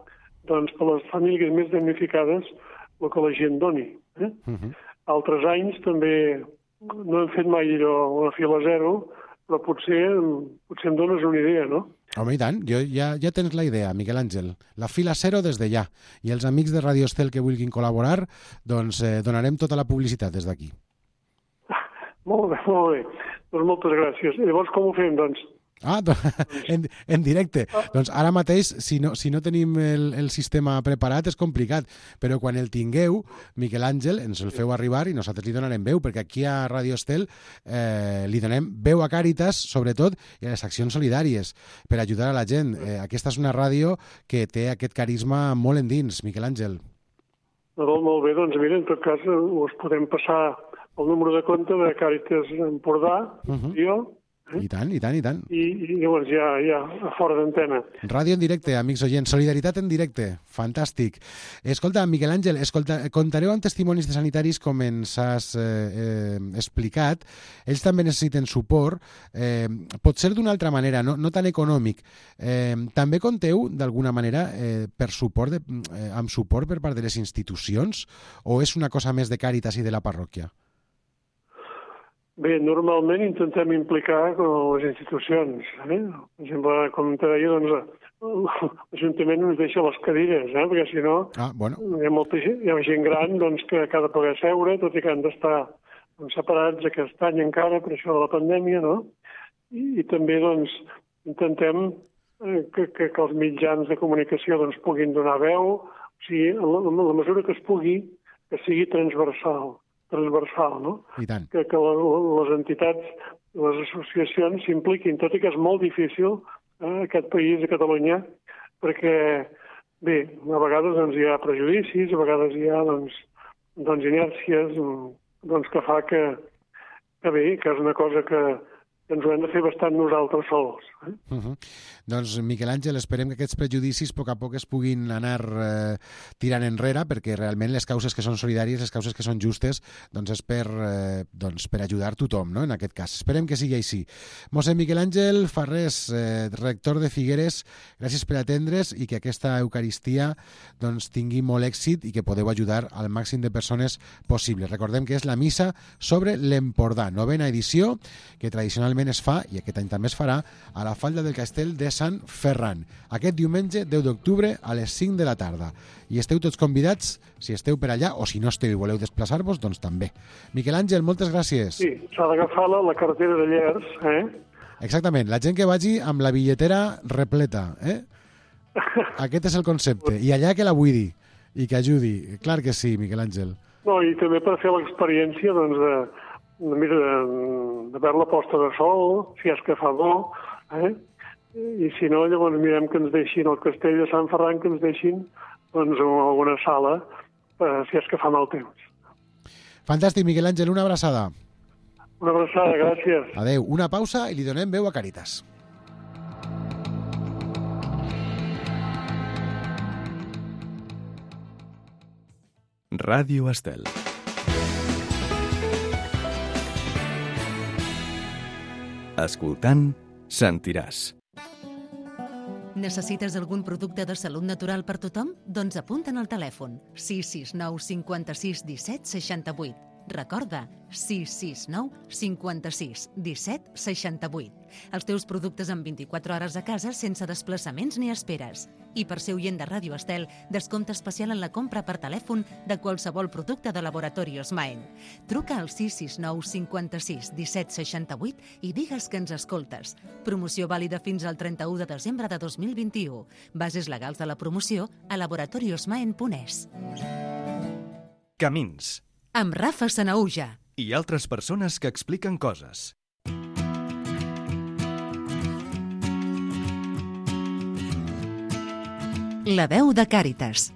doncs, per les famílies més damnificades el que la gent doni. Eh? Uh-huh. Altres anys també no hem fet mai allò a fila zero, però potser, potser em dones una idea, no? Home, i tant, jo, ja, ja tens la idea, Miquel Àngel. La fila zero des de ja. I els amics de Radio Estel que vulguin col·laborar, doncs eh, donarem tota la publicitat des d'aquí. Molt bé, molt bé. Doncs moltes gràcies. I llavors com ho fem, doncs? Ah, en, en directe. Ah. Doncs ara mateix, si no, si no tenim el, el sistema preparat, és complicat. Però quan el tingueu, Miquel Àngel, ens el feu arribar i nosaltres li donarem veu, perquè aquí a Radio Estel eh, li donem veu a Càritas, sobretot, i a les accions solidàries, per ajudar a la gent. Eh, aquesta és una ràdio que té aquest carisma molt endins, Miquel Àngel. Molt, molt bé, doncs mira, en tot cas us podem passar el número de compte de Càritas Empordà, uh-huh. jo, I tant, i tant, i tant. I, i llavors ja, ja, a fora d'antena. Ràdio en directe, amics oients. Solidaritat en directe. Fantàstic. Escolta, Miquel Àngel, escolta, contareu amb testimonis de sanitaris com ens has eh, eh, explicat. Ells també necessiten suport. Eh, pot ser d'una altra manera, no, no tan econòmic. Eh, també conteu, d'alguna manera, eh, per suport de, eh, amb suport per part de les institucions? O és una cosa més de Càritas i de la parròquia? Bé, normalment intentem implicar les institucions. Eh? Per exemple, com te deia, doncs, l'Ajuntament ens deixa les cadires, eh? Perquè si no ah, bueno. hi ha molta gent, hi ha gent gran doncs, que ha de poder seure, tot i que han d'estar doncs, separats aquest any encara per això de la pandèmia, no? I, i també doncs, intentem eh, que, que, que els mitjans de comunicació doncs, puguin donar veu, o sigui, en la, en la mesura que es pugui, que sigui transversal. transversal, no? I tant. Que, que les entitats, les associacions s'impliquin, tot i que és molt difícil eh, aquest país, a Catalunya, perquè, bé, a vegades doncs, hi ha prejudicis, a vegades hi ha doncs, doncs, inèrcies doncs, que fa que, que bé, que és una cosa que ens ho hem de fer bastant nosaltres sols. Eh? Uh-huh. Doncs, Miquel Àngel, esperem que aquests prejudicis a poc a poc es puguin anar eh, tirant enrere, perquè realment les causes que són solidàries, les causes que són justes, doncs és per, eh, doncs per ajudar tothom, no?, en aquest cas. Esperem que sigui així. Mossèn Miquel Àngel Farrés, eh, rector de Figueres, gràcies per atendre's i que aquesta Eucaristia doncs, tingui molt èxit i que podeu ajudar al màxim de persones possible. Recordem que és la missa sobre l'Empordà, novena edició, que tradicionalment es fa, i aquest any també es farà, a la falda del Castell de Sant Ferran. Aquest diumenge, deu d'octubre, a les cinc de la tarda. I esteu tots convidats, si esteu per allà, o si no esteu i voleu desplaçar-vos, doncs també. Miquel Àngel, moltes gràcies. Sí, s'ha d'agafar la, la carretera de Llers, eh? Exactament, la gent que vagi amb la bitlletera repleta, eh? Aquest és el concepte. I allà que la buidi i que ajudi. Clar que sí, Miquel Àngel. No, i també per fer l'experiència, doncs, de mira, de, de veure la posta de sol, si és que fa bo, eh? i si no, llavors mirem que ens deixin el castell de Sant Ferran, que ens deixin doncs, en alguna sala, eh, si és que fa mal temps. Fantàstic, Miquel Àngel, una abraçada. Una abraçada, gràcies. Adeu, una pausa i li donem veu a Càritas. Ràdio Estel. Escoltant, sentiràs. Necessites algun producte de salut natural per tothom? Doncs apunta'n al telèfon sis sis nou cinquanta-sis disset seixanta-vuit. Recorda, sis sis nou cinquanta-sis disset seixanta-vuit. Els teus productes en vint-i-quatre hores a casa sense desplaçaments ni esperes. I per ser oient de Ràdio Estel, descompte especial en la compra per telèfon de qualsevol producte de Laboratorios Maen. Truca al sis sis nou cinquanta-sis disset seixanta-vuit i digues que ens escoltes. Promoció vàlida fins al trenta-u de desembre de dos mil vint-i-u. Bases legals de la promoció a laboratoriosmaen punt es. Camins. Amb Rafa Sanaúja. I altres persones que expliquen coses. La veu de Càritas.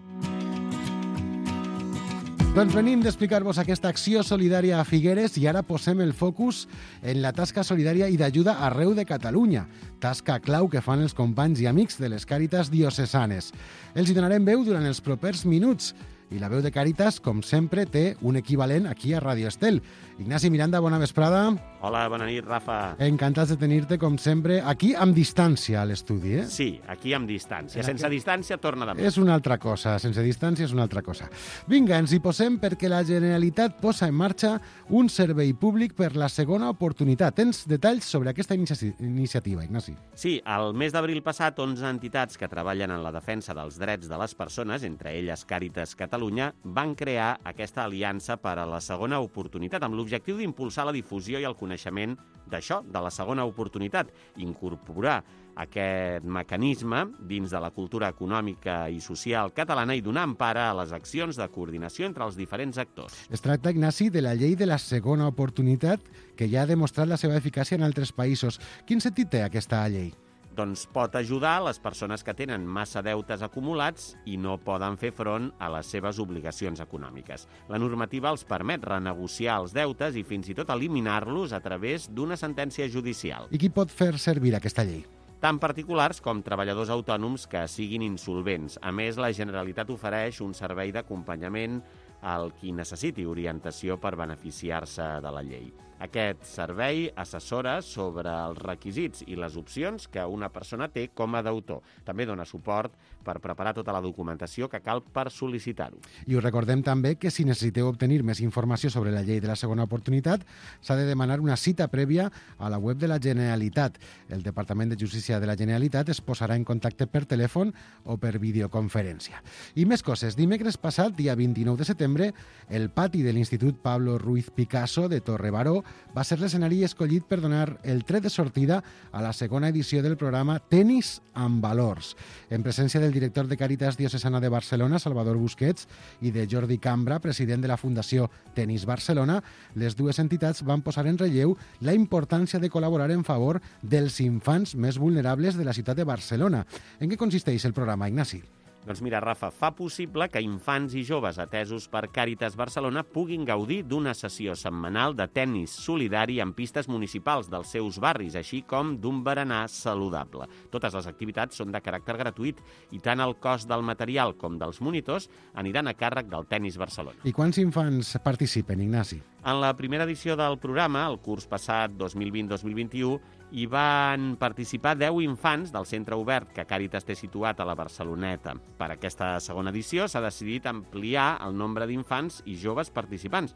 Doncs venim d'explicar-vos aquesta acció solidària a Figueres i ara posem el focus en la tasca solidària i d'ajuda arreu de Catalunya. Tasca clau que fan els companys i amics de les Càritas diocesanes. Els hi donarem veu durant els propers minuts. I la veu de Càritas, com sempre, té un equivalent aquí a Ràdio Estel. Ignasi Miranda, bona vesprada. Hola, bona nit, Rafa. Encantats de tenir-te, com sempre, aquí amb distància a l'estudi, eh? Sí, aquí amb distància. Sense distància torna demà. És una altra cosa, sense distància és una altra cosa. Vinga, ens hi posem perquè la Generalitat posa en marxa un servei públic per la segona oportunitat. Tens detalls sobre aquesta inici- iniciativa, Ignasi? Sí, al mes d'abril passat, onze entitats que treballen en la defensa dels drets de les persones, entre elles Càritas Catalunya, van crear aquesta aliança per a la segona oportunitat, amb l'objectiu d'impulsar la difusió i el coneixement d'això, de la segona oportunitat, incorporar aquest mecanisme dins de la cultura econòmica i social catalana i donar empara a les accions de coordinació entre els diferents actors. Es tracta, Ignasi, de la llei de la segona oportunitat que ja ha demostrat la seva eficàcia en altres països. Quin sentit té aquesta llei? Doncs pot ajudar les persones que tenen massa deutes acumulats i no poden fer front a les seves obligacions econòmiques. La normativa els permet renegociar els deutes i fins i tot eliminar-los a través d'una sentència judicial. I qui pot fer servir aquesta llei? Tant particulars com treballadors autònoms que siguin insolvents. A més, la Generalitat ofereix un servei d'acompanyament al qui necessiti orientació per beneficiar-se de la llei. Aquest servei assessora sobre els requisits i les opcions que una persona té com a deutor. També dona suport per preparar tota la documentació que cal per sol·licitar-ho. I us recordem també que si necessiteu obtenir més informació sobre la llei de la segona oportunitat, s'ha de demanar una cita prèvia a la web de la Generalitat. El Departament de Justícia de la Generalitat es posarà en contacte per telèfon o per videoconferència. I més coses. Dimecres passat, dia vint-i-nou de setembre, el pati de l'Institut Pablo Ruiz Picasso de Torrebaró va ser l'escenari escollit per donar el tret de sortida a la segona edició del programa Tenis amb Valors, en presència del director de Càritas Diocesana de Barcelona, Salvador Busquets, i de Jordi Cambra, president de la Fundació Tenis Barcelona. Les dues entitats van posar en relleu la importància de col·laborar en favor dels infants més vulnerables de la ciutat de Barcelona. En què consisteix el programa, Ignasi? Doncs mira, Rafa, fa possible que infants i joves atesos per Càritas Barcelona puguin gaudir d'una sessió setmanal de tennis solidari en pistes municipals dels seus barris, així com d'un berenar saludable. Totes les activitats són de caràcter gratuït i tant el cost del material com dels monitors aniran a càrrec del Tenis Barcelona. I quants infants participen, Ignasi? En la primera edició del programa, el curs passat dos mil vint dos mil vint-i-u, hi van participar deu infants del centre obert que Càritas té situat a la Barceloneta. Per aquesta segona edició s'ha decidit ampliar el nombre d'infants i joves participants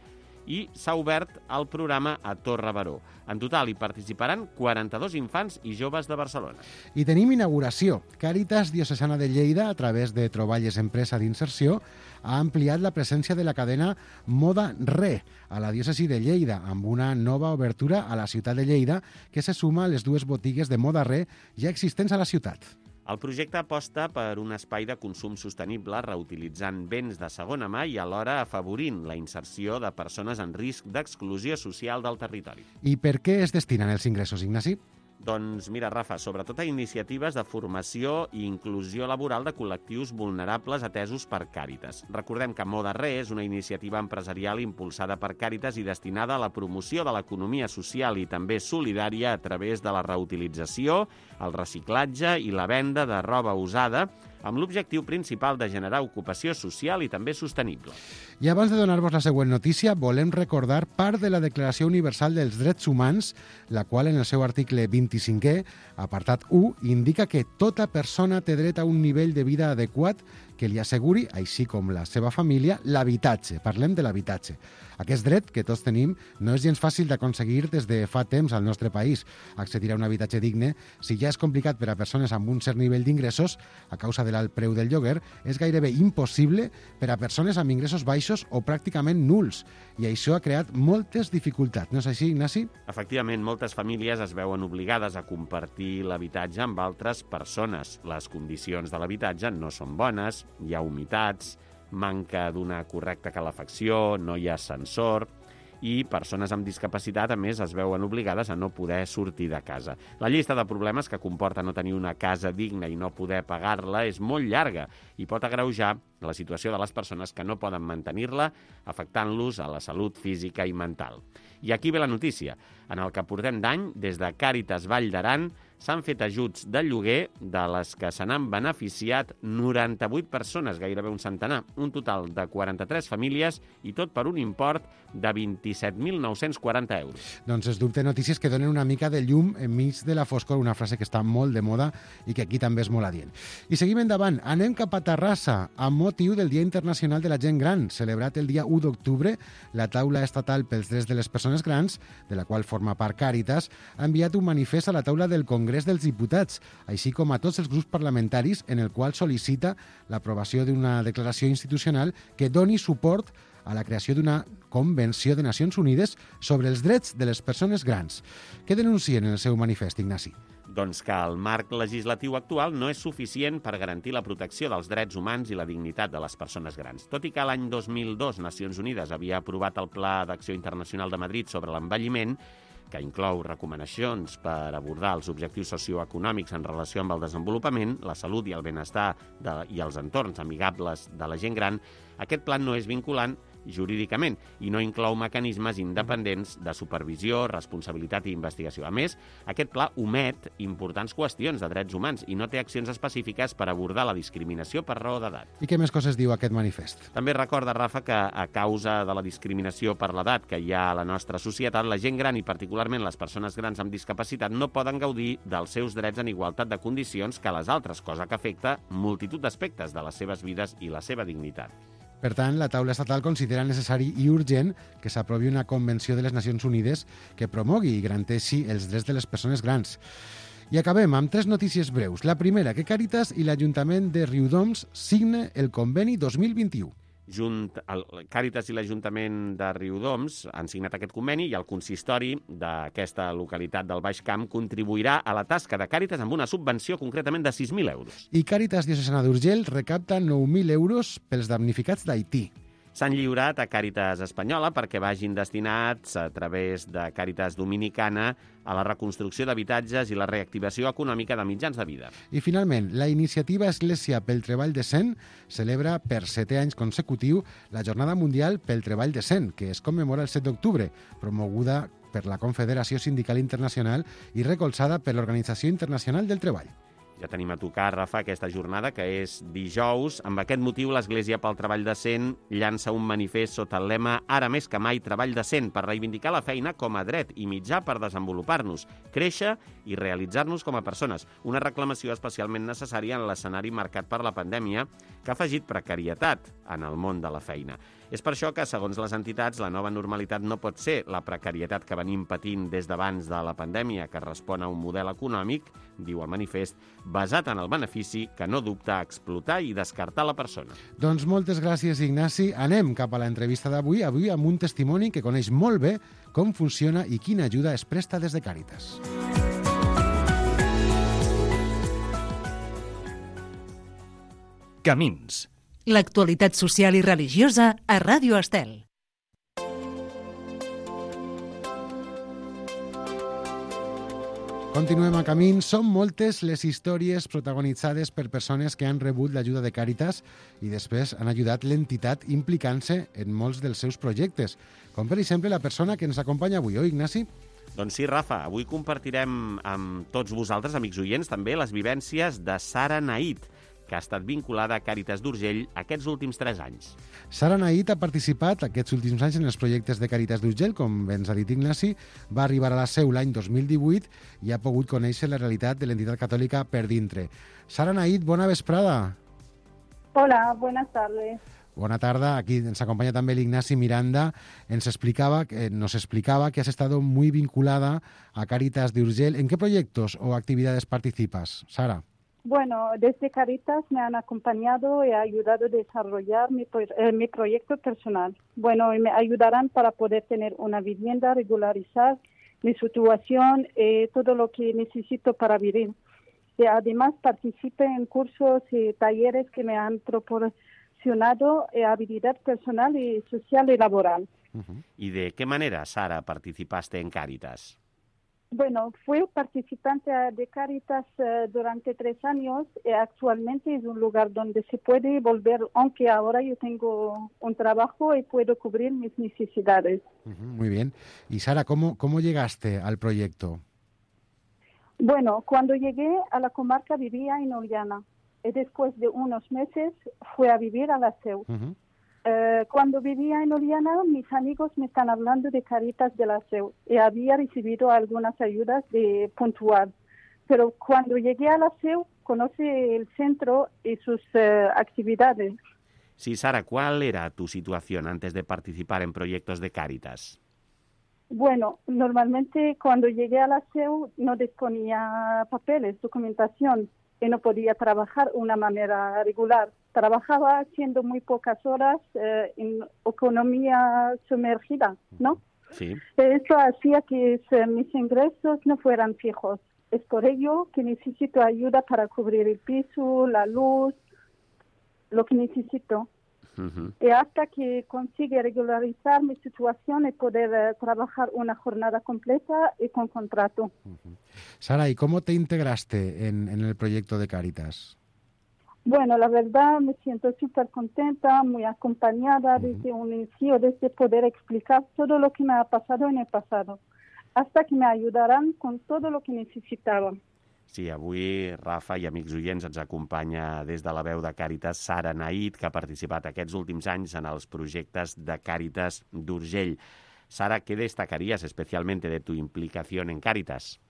i s'ha obert el programa a Torre Baró. En total hi participaran quaranta-dos infants i joves de Barcelona. I tenim inauguració. Càritas Diocesana de Lleida, a través de Troballes Empresa d'Inserció, ha ampliat la presència de la cadena Moda Re a la diòcesi de Lleida, amb una nova obertura a la ciutat de Lleida que se suma a les dues botigues de Moda Re ja existents a la ciutat. El projecte aposta per un espai de consum sostenible reutilitzant béns de segona mà i alhora afavorint la inserció de persones en risc d'exclusió social del territori. I per què es destinen els ingressos, Ignasi? Doncs mira, Rafa, sobretot a iniciatives de formació i inclusió laboral de col·lectius vulnerables atesos per Càritas. Recordem que Moda Re és una iniciativa empresarial impulsada per Càritas i destinada a la promoció de l'economia social i també solidària a través de la reutilització, el reciclatge i la venda de roba usada, amb l'objectiu principal de generar ocupació social i també sostenible. I abans de donar-vos la següent notícia, volem recordar part de la Declaració Universal dels Drets Humans, la qual en el seu article vint-i-cinquè, apartat u, indica que tota persona té dret a un nivell de vida adequat que li asseguri, així com la seva família, l'habitatge. Parlem de l'habitatge. Aquest dret que tots tenim no és gens fàcil d'aconseguir des de fa temps al nostre país. Accedir a un habitatge digne, si ja és complicat per a persones amb un cert nivell d'ingressos, a causa de l'alt preu del lloguer, és gairebé impossible per a persones amb ingressos baixos o pràcticament nuls. I això ha creat moltes dificultats. No és així, Ignasi? Efectivament, moltes famílies es veuen obligades a compartir l'habitatge amb altres persones. Les condicions de l'habitatge no són bones, hi ha humitats, manca d'una correcta calefacció, no hi ha ascensor i persones amb discapacitat, a més, es veuen obligades a no poder sortir de casa. La llista de problemes que comporta no tenir una casa digna i no poder pagar-la és molt llarga i pot agreujar la situació de les persones que no poden mantenir-la, afectant-los a la salut física i mental. I aquí ve la notícia. En el que portem d'any, des de Càritas Vall d'Aran, s'han fet ajuts de lloguer de les que se n'han beneficiat noranta-vuit persones, gairebé un centenar, un total de quaranta-tres famílies i tot per un import de vint-i-set mil nou-cents quaranta euros. Doncs es dubte notícies que donen una mica de llum enmig de la foscor, una frase que està molt de moda i que aquí també és molt adient. I seguim endavant. Anem cap a Terrassa, amb motiu del Dia Internacional de la Gent Gran, celebrat el dia u d'octubre. La Taula Estatal pels Drets de les Persones Grans, de la qual forma part Càritas, ha enviat un manifest a la taula del Congrés dels Diputats, així com a tots els grups parlamentaris, en el qual sol·licita l'aprovació d'una declaració institucional que doni suport a la creació d'una Convenció de Nacions Unides sobre els drets de les persones grans. Què denuncien en el seu manifest, Ignasi? Doncs que el marc legislatiu actual no és suficient per garantir la protecció dels drets humans i la dignitat de les persones grans. Tot i que l'any dos mil dos Nacions Unides havia aprovat el Pla d'Acció Internacional de Madrid sobre l'envelliment, que inclou recomanacions per abordar els objectius socioeconòmics en relació amb el desenvolupament, la salut i el benestar de, i els entorns amigables de la gent gran, aquest pla no és vinculant jurídicament i no inclou mecanismes independents de supervisió, responsabilitat i investigació. A més, aquest pla omet importants qüestions de drets humans i no té accions específiques per abordar la discriminació per raó d'edat. I què més coses diu aquest manifest? També recorda, Rafa, que a causa de la discriminació per l'edat que hi ha a la nostra societat, la gent gran i particularment les persones grans amb discapacitat no poden gaudir dels seus drets en igualtat de condicions que les altres, cosa que afecta multitud d'aspectes de les seves vides i la seva dignitat. Per tant, la taula estatal considera necessari i urgent que s'aprovi una Convenció de les Nacions Unides que promogui i garanteixi els drets de les persones grans. I acabem amb tres notícies breus. La primera, que Càritas i l'Ajuntament de Riudoms signen el conveni dos mil vint-i-u. Junt, el Càritas i l'Ajuntament de Riudoms han signat aquest conveni i el consistori d'aquesta localitat del Baix Camp contribuirà a la tasca de Càritas amb una subvenció concretament de sis mil euros. I Càritas Diocesana d'Urgell recapta nou mil euros pels damnificats d'Haití. S'han lliurat a Càritas Espanyola perquè vagin destinats a través de Càritas Dominicana a la reconstrucció d'habitatges i la reactivació econòmica de mitjans de vida. I finalment, la iniciativa Església pel Treball Decent celebra per setè anys consecutiu la Jornada Mundial pel Treball Decent, que es commemora el set d'octubre, promoguda per la Confederació Sindical Internacional i recolzada per l'Organització Internacional del Treball. Ja tenim a tocar, Rafa, aquesta jornada, que és dijous. Amb aquest motiu, l'Església pel Treball Decent llança un manifest sota el lema «Ara més que mai, treball decent», per reivindicar la feina com a dret i mitjà per desenvolupar-nos, créixer i realitzar-nos com a persones. Una reclamació especialment necessària en l'escenari marcat per la pandèmia, que ha afegit precarietat en el món de la feina. És per això que, segons les entitats, la nova normalitat no pot ser la precarietat que venim patint des d'abans de la pandèmia, que respon a un model econòmic, diu el manifest, basat en el benefici que no dubta a explotar i descartar la persona. Doncs moltes gràcies, Ignasi. Anem cap a l'entrevista d'avui, avui amb un testimoni que coneix molt bé com funciona i quina ajuda es presta des de Càritas. Camins. L'actualitat social i religiosa a Ràdio Estel. Continuem a camins. Són moltes les històries protagonitzades per persones que han rebut l'ajuda de Càritas i després han ajudat l'entitat implicant-se en molts dels seus projectes, com per exemple la persona que ens acompanya avui, oi, Ignasi? Doncs sí, Rafa, avui compartirem amb tots vosaltres, amics oients, també les vivències de Sara Nahid, que ha estat vinculada a Càritas d'Urgell aquests últims tres anys. Sara Nahid ha participat aquests últims anys en els projectes de Càritas d'Urgell, com bé ens ha dit Ignasi, va arribar a la seu l'any dos mil divuit i ha pogut conèixer la realitat de l'entitat catòlica per dintre. Sara Nahid, bona vesprada. Hola, buenas tardes. Bona tarda, aquí ens acompaña també l'Ignasi Miranda. Ens explicaba, eh, nos explicaba que has estado muy vinculada a Càritas d'Urgell. ¿En qué proyectos o actividades participas, Sara? Bueno, desde Càritas me han acompañado y ayudado a desarrollar mi, eh, mi proyecto personal. Bueno, y me ayudarán para poder tener una vivienda, regularizar mi situación, eh, todo lo que necesito para vivir. Y además participé en cursos y talleres que me han proporcionado eh, habilidad personal y social y laboral. Uh-huh. ¿Y de qué manera, Sara, participaste en Càritas? Bueno, fui participante de Càritas eh, durante tres años y actualmente es un lugar donde se puede volver, aunque ahora yo tengo un trabajo y puedo cubrir mis necesidades. Uh-huh, muy bien. Y Sara, ¿cómo, cómo llegaste al proyecto? Bueno, cuando llegué a la comarca vivía en Oliana y después de unos meses fui a vivir a la Seu. Uh-huh. Uh, cuando vivía en Oliana, mis amigos me están hablando de Càritas de la Seu y había recibido algunas ayudas de puntual. Pero cuando llegué a la Seu, conocí el centro y sus uh, actividades. Sí, Sara, ¿cuál era tu situación antes de participar en proyectos de Càritas? Bueno, normalmente cuando llegué a la Seu no disponía papeles, documentación y no podía trabajar de una manera regular. Trabajaba haciendo muy pocas horas eh, en economía sumergida, ¿no? Sí. Eso hacía que eh, mis ingresos no fueran fijos. Es por ello que necesito ayuda para cubrir el piso, la luz, lo que necesito. Uh-huh. Y hasta que consiga regularizar mi situación y poder eh, trabajar una jornada completa y con contrato. Uh-huh. Sara, ¿y cómo te integraste en, en el proyecto de Càritas? Bueno, la verdad me siento súper contenta, muy acompañada uh-huh. desde un inicio, desde poder explicar todo lo que me ha pasado en el pasado, hasta que me ayudarán con todo lo que necesitaba. Sí, avui, Rafa i amics oients, ens acompanya des de la veu de Càritas Sara Nahid, que ha participat aquests últims anys en els projectes de Càritas d'Urgell. Sara, ¿qué destacarías especialmente de tu implicación en Càritas?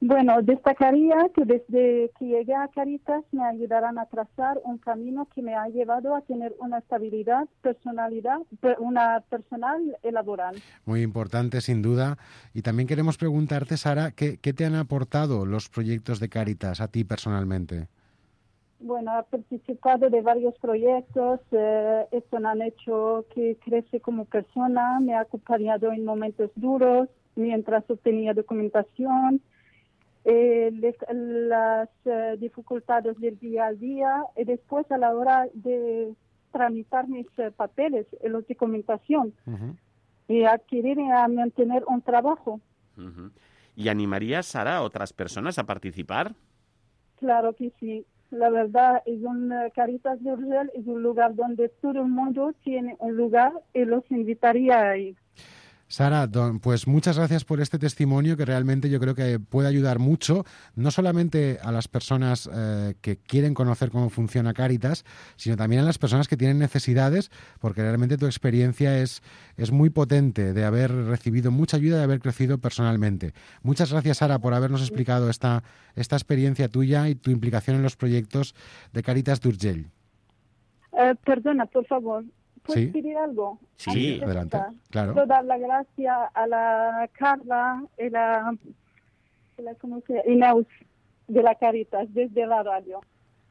Bueno, destacaría que desde que llegué a Càritas me ayudarán a trazar un camino que me ha llevado a tener una estabilidad, personalidad, una personal y laboral. Muy importante, sin duda. Y también queremos preguntarte, Sara, ¿qué, qué te han aportado los proyectos de Càritas a ti personalmente? Bueno, he participado de varios proyectos, eh, esto me han hecho que crece como persona, me ha acompañado en momentos duros, mientras obtenía documentación, Eh, les, las uh, dificultades del día a día y después a la hora de tramitar mis uh, papeles y la documentación uh-huh. y adquirir y a mantener un trabajo. Uh-huh. ¿Y animarías, Sara, a otras personas a participar? Claro que sí. La verdad, es un uh, Càritas d'Urgell es un lugar donde todo el mundo tiene un lugar y los invitaría a ir. Sara, pues muchas gracias por este testimonio que realmente yo creo que puede ayudar mucho, no solamente a las personas eh, que quieren conocer cómo funciona Càritas, sino también a las personas que tienen necesidades, porque realmente tu experiencia es, es muy potente de haber recibido mucha ayuda y de haber crecido personalmente. Muchas gracias, Sara, por habernos explicado esta, esta experiencia tuya y tu implicación en los proyectos de Càritas d'Urgell. Uh, perdona, por favor. ¿Puedes ¿Sí? pedir algo? Sí, adelante, claro. Quiero dar la gracia a la Carla y la, y la ¿cómo se llama? Inés de la Càritas desde la radio.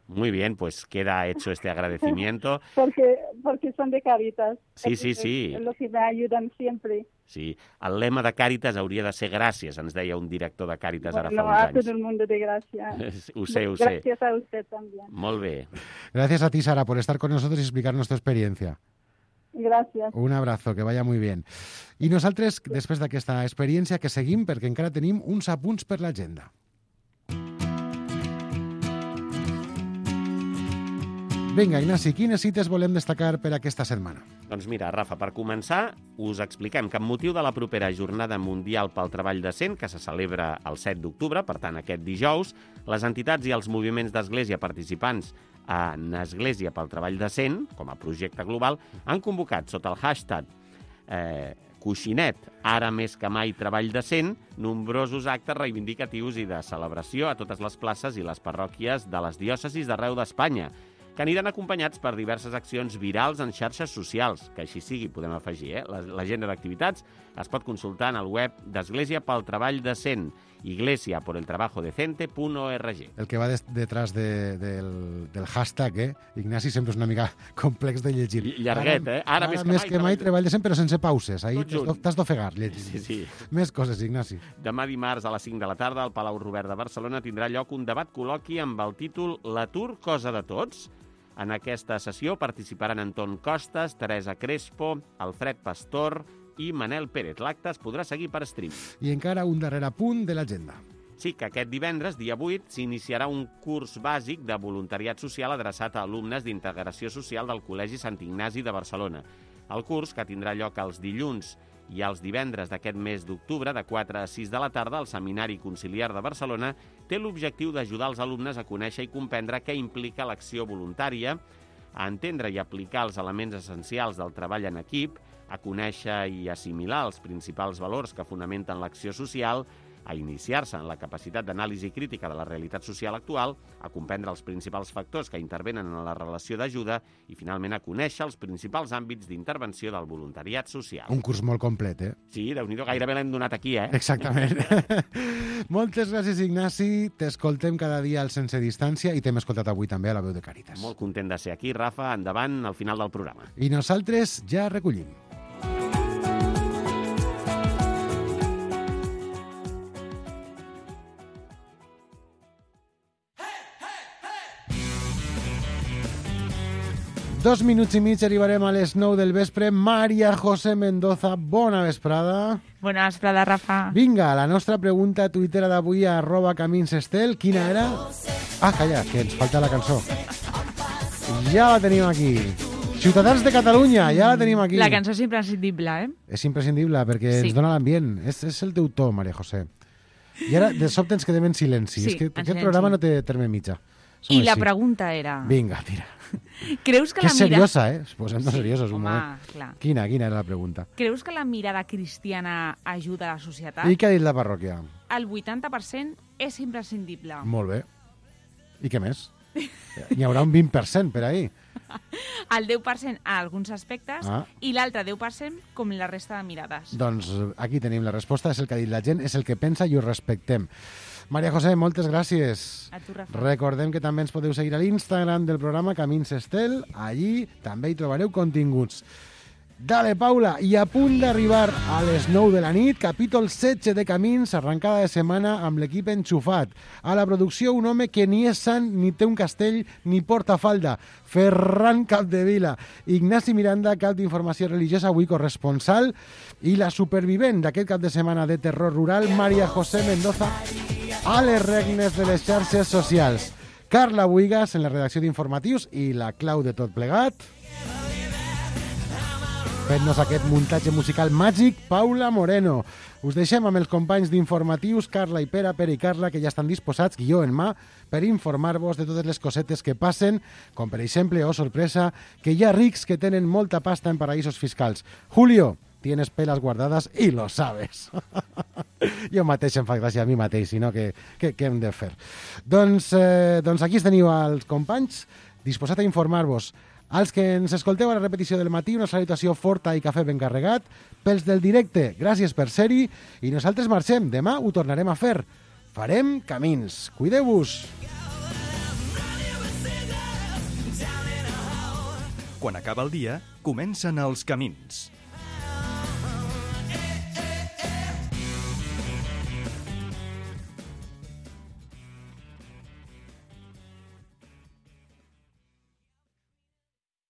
Muy bien, pues queda hecho este agradecimiento. porque, porque son de Càritas. Sí, sí, sí. Es lo que me ayudan siempre. Sí, el lema de Càritas hauria de ser gràcies, ens deia un director de Càritas bueno, ara fa uns a anys. todo el mundo de gracias. Ho sé, ho sé. Gracias a usted también. Molt bé. Gracias a ti, Sara, por estar con nosotros y explicarnos tu experiencia. Gràcies. Un abrazo, que vaya muy bien. I nosaltres, després d'aquesta experiència, que seguim perquè encara tenim uns apunts per l'agenda. Vinga, Ignasi, quines cites volem destacar per aquesta setmana? Doncs mira, Rafa, per començar, us expliquem que amb motiu de la propera Jornada Mundial pel Treball Decent, que se celebra el set d'octubre, per tant, aquest dijous, les entitats i els moviments d'església participants en Església pel Treball Decent, com a projecte global, han convocat sota el hashtag eh, Coixinet, ara més que mai treball decent, nombrosos actes reivindicatius i de celebració a totes les places i les parròquies de les diòcesis d'arreu d'Espanya, que aniran acompanyats per diverses accions virals en xarxes socials, que així sigui, podem afegir, eh? L'agenda d'activitats es pot consultar en el web d'Església pel Treball Decent, iglesia por el trabajo decente punt org. El que va des, detrás de, del, del hashtag, eh? Ignasi, sempre és una mica complex de llegir. I llarguet, ara, eh? Ara, ara més que més mai, que mai treball decent, però sense pauses. Ahí t'has d'ofegar llegint. Sí, sí. Més coses, Ignasi. Demà dimarts a les cinc de la tarda al Palau Robert de Barcelona tindrà lloc un debat col·loqui amb el títol L'atur, cosa de tots. En aquesta sessió participaran Anton Costas, Teresa Crespo, Alfred Pastor i Manel Pérez. L'acte es podrà seguir per stream. I encara un darrer punt de l'agenda. Sí, que aquest divendres, dia vuit, s'iniciarà un curs bàsic de voluntariat social adreçat a alumnes d'integració social del Col·legi Sant Ignasi de Barcelona. El curs, que tindrà lloc els dilluns i els divendres d'aquest mes d'octubre, de quatre a sis de la tarda, al Seminari Conciliar de Barcelona, té l'objectiu d'ajudar els alumnes a conèixer i comprendre què implica l'acció voluntària, a entendre i aplicar els elements essencials del treball en equip, a conèixer i assimilar els principals valors que fonamenten l'acció social, a iniciar-se en la capacitat d'anàlisi crítica de la realitat social actual, a comprendre els principals factors que intervenen en la relació d'ajuda i, finalment, a conèixer els principals àmbits d'intervenció del voluntariat social. Un curs molt complet, eh? Sí, Déu-n'hi-do, gairebé l'hem donat aquí, eh? Exactament. Moltes gràcies, Ignasi. T'escoltem cada dia al Sense Distància i t'hem escoltat avui també a la veu de Càritas. Molt content de ser aquí, Rafa. Endavant, al final del programa. I nosaltres ja recollim. Dos minuts i mig arribarem a les nou del vespre. Maria José Mendoza, bona vesprada. Bona vesprada, Rafa. Vinga, la nostra pregunta tuitera d'avui a arroba caminsestel. Quina era? Ah, calla, que ens falta la cançó. Ja la tenim aquí. Ciutadans de Catalunya, ja la tenim aquí. La cançó és imprescindible, eh? És imprescindible perquè Sí. ens dona l'ambient. És, és el teu to, Maria José. I ara, de sobte, ens quedem en silenci. Sí, és que en aquest silenci. programa no té terme mitjà. Som I la així. pregunta era... Vinga, tira. Creus que, Que la és mira... seriosa, eh? Posem-nos Sí, seriosos un home, moment. clar. Quina, quina era la pregunta? Creus que la mirada cristiana ajuda a la societat? I què ha dit la parròquia? El vuitanta per cent és imprescindible. Molt bé. I què més? N'hi haurà un vint per cent per ahir. El deu per cent a alguns aspectes Ah. i l'altre deu per cent com la resta de mirades. Doncs aquí tenim la resposta, és el que ha dit la gent, és el que pensa i ho respectem. Maria José, moltes gràcies. A tu, Rafa. Recordem que també ens podeu seguir a l'Instagram del programa Camins Estel. Allí també hi trobareu continguts. Dale, Paula, i a punt d'arribar a les nou de la nit, capítol setze de Camins, arrencada de setmana amb l'equip enxufat. A la producció, un home que ni és sant, ni té un castell, ni porta falda. Ferran Capdevila. Ignasi Miranda, cap d'informació religiosa, avui corresponsal. I la supervivent d'aquest cap de setmana de terror rural, Maria José Mendoza, a les regnes de les xarxes socials. Carla Buigas, en la redacció d'informatius, i la clau de tot plegat... Fent-nos aquest muntatge musical màgic, Paula Moreno. Us deixem amb els companys d'informatius, Carla i Pere, Pere i Carla, que ja estan disposats, guió en mà, per informar-vos de totes les cosetes que passen, com per exemple, oh sorpresa, que hi ha rics que tenen molta pasta en paraïsos fiscals. Julio, tienes pelas guardadas y lo sabes. Jo mateix em fa gràcia a mi mateix, sinó que, que, que hem de fer. Doncs, eh, doncs aquí teniu els companys disposats a informar-vos. Als que ens escolteu a la repetició del matí, una salutació forta i cafè ben carregat. Pels del directe, gràcies per ser-hi. I nosaltres marxem. Demà ho tornarem a fer. Farem camins. Cuideu-vos. Quan acaba el dia, comencen els camins.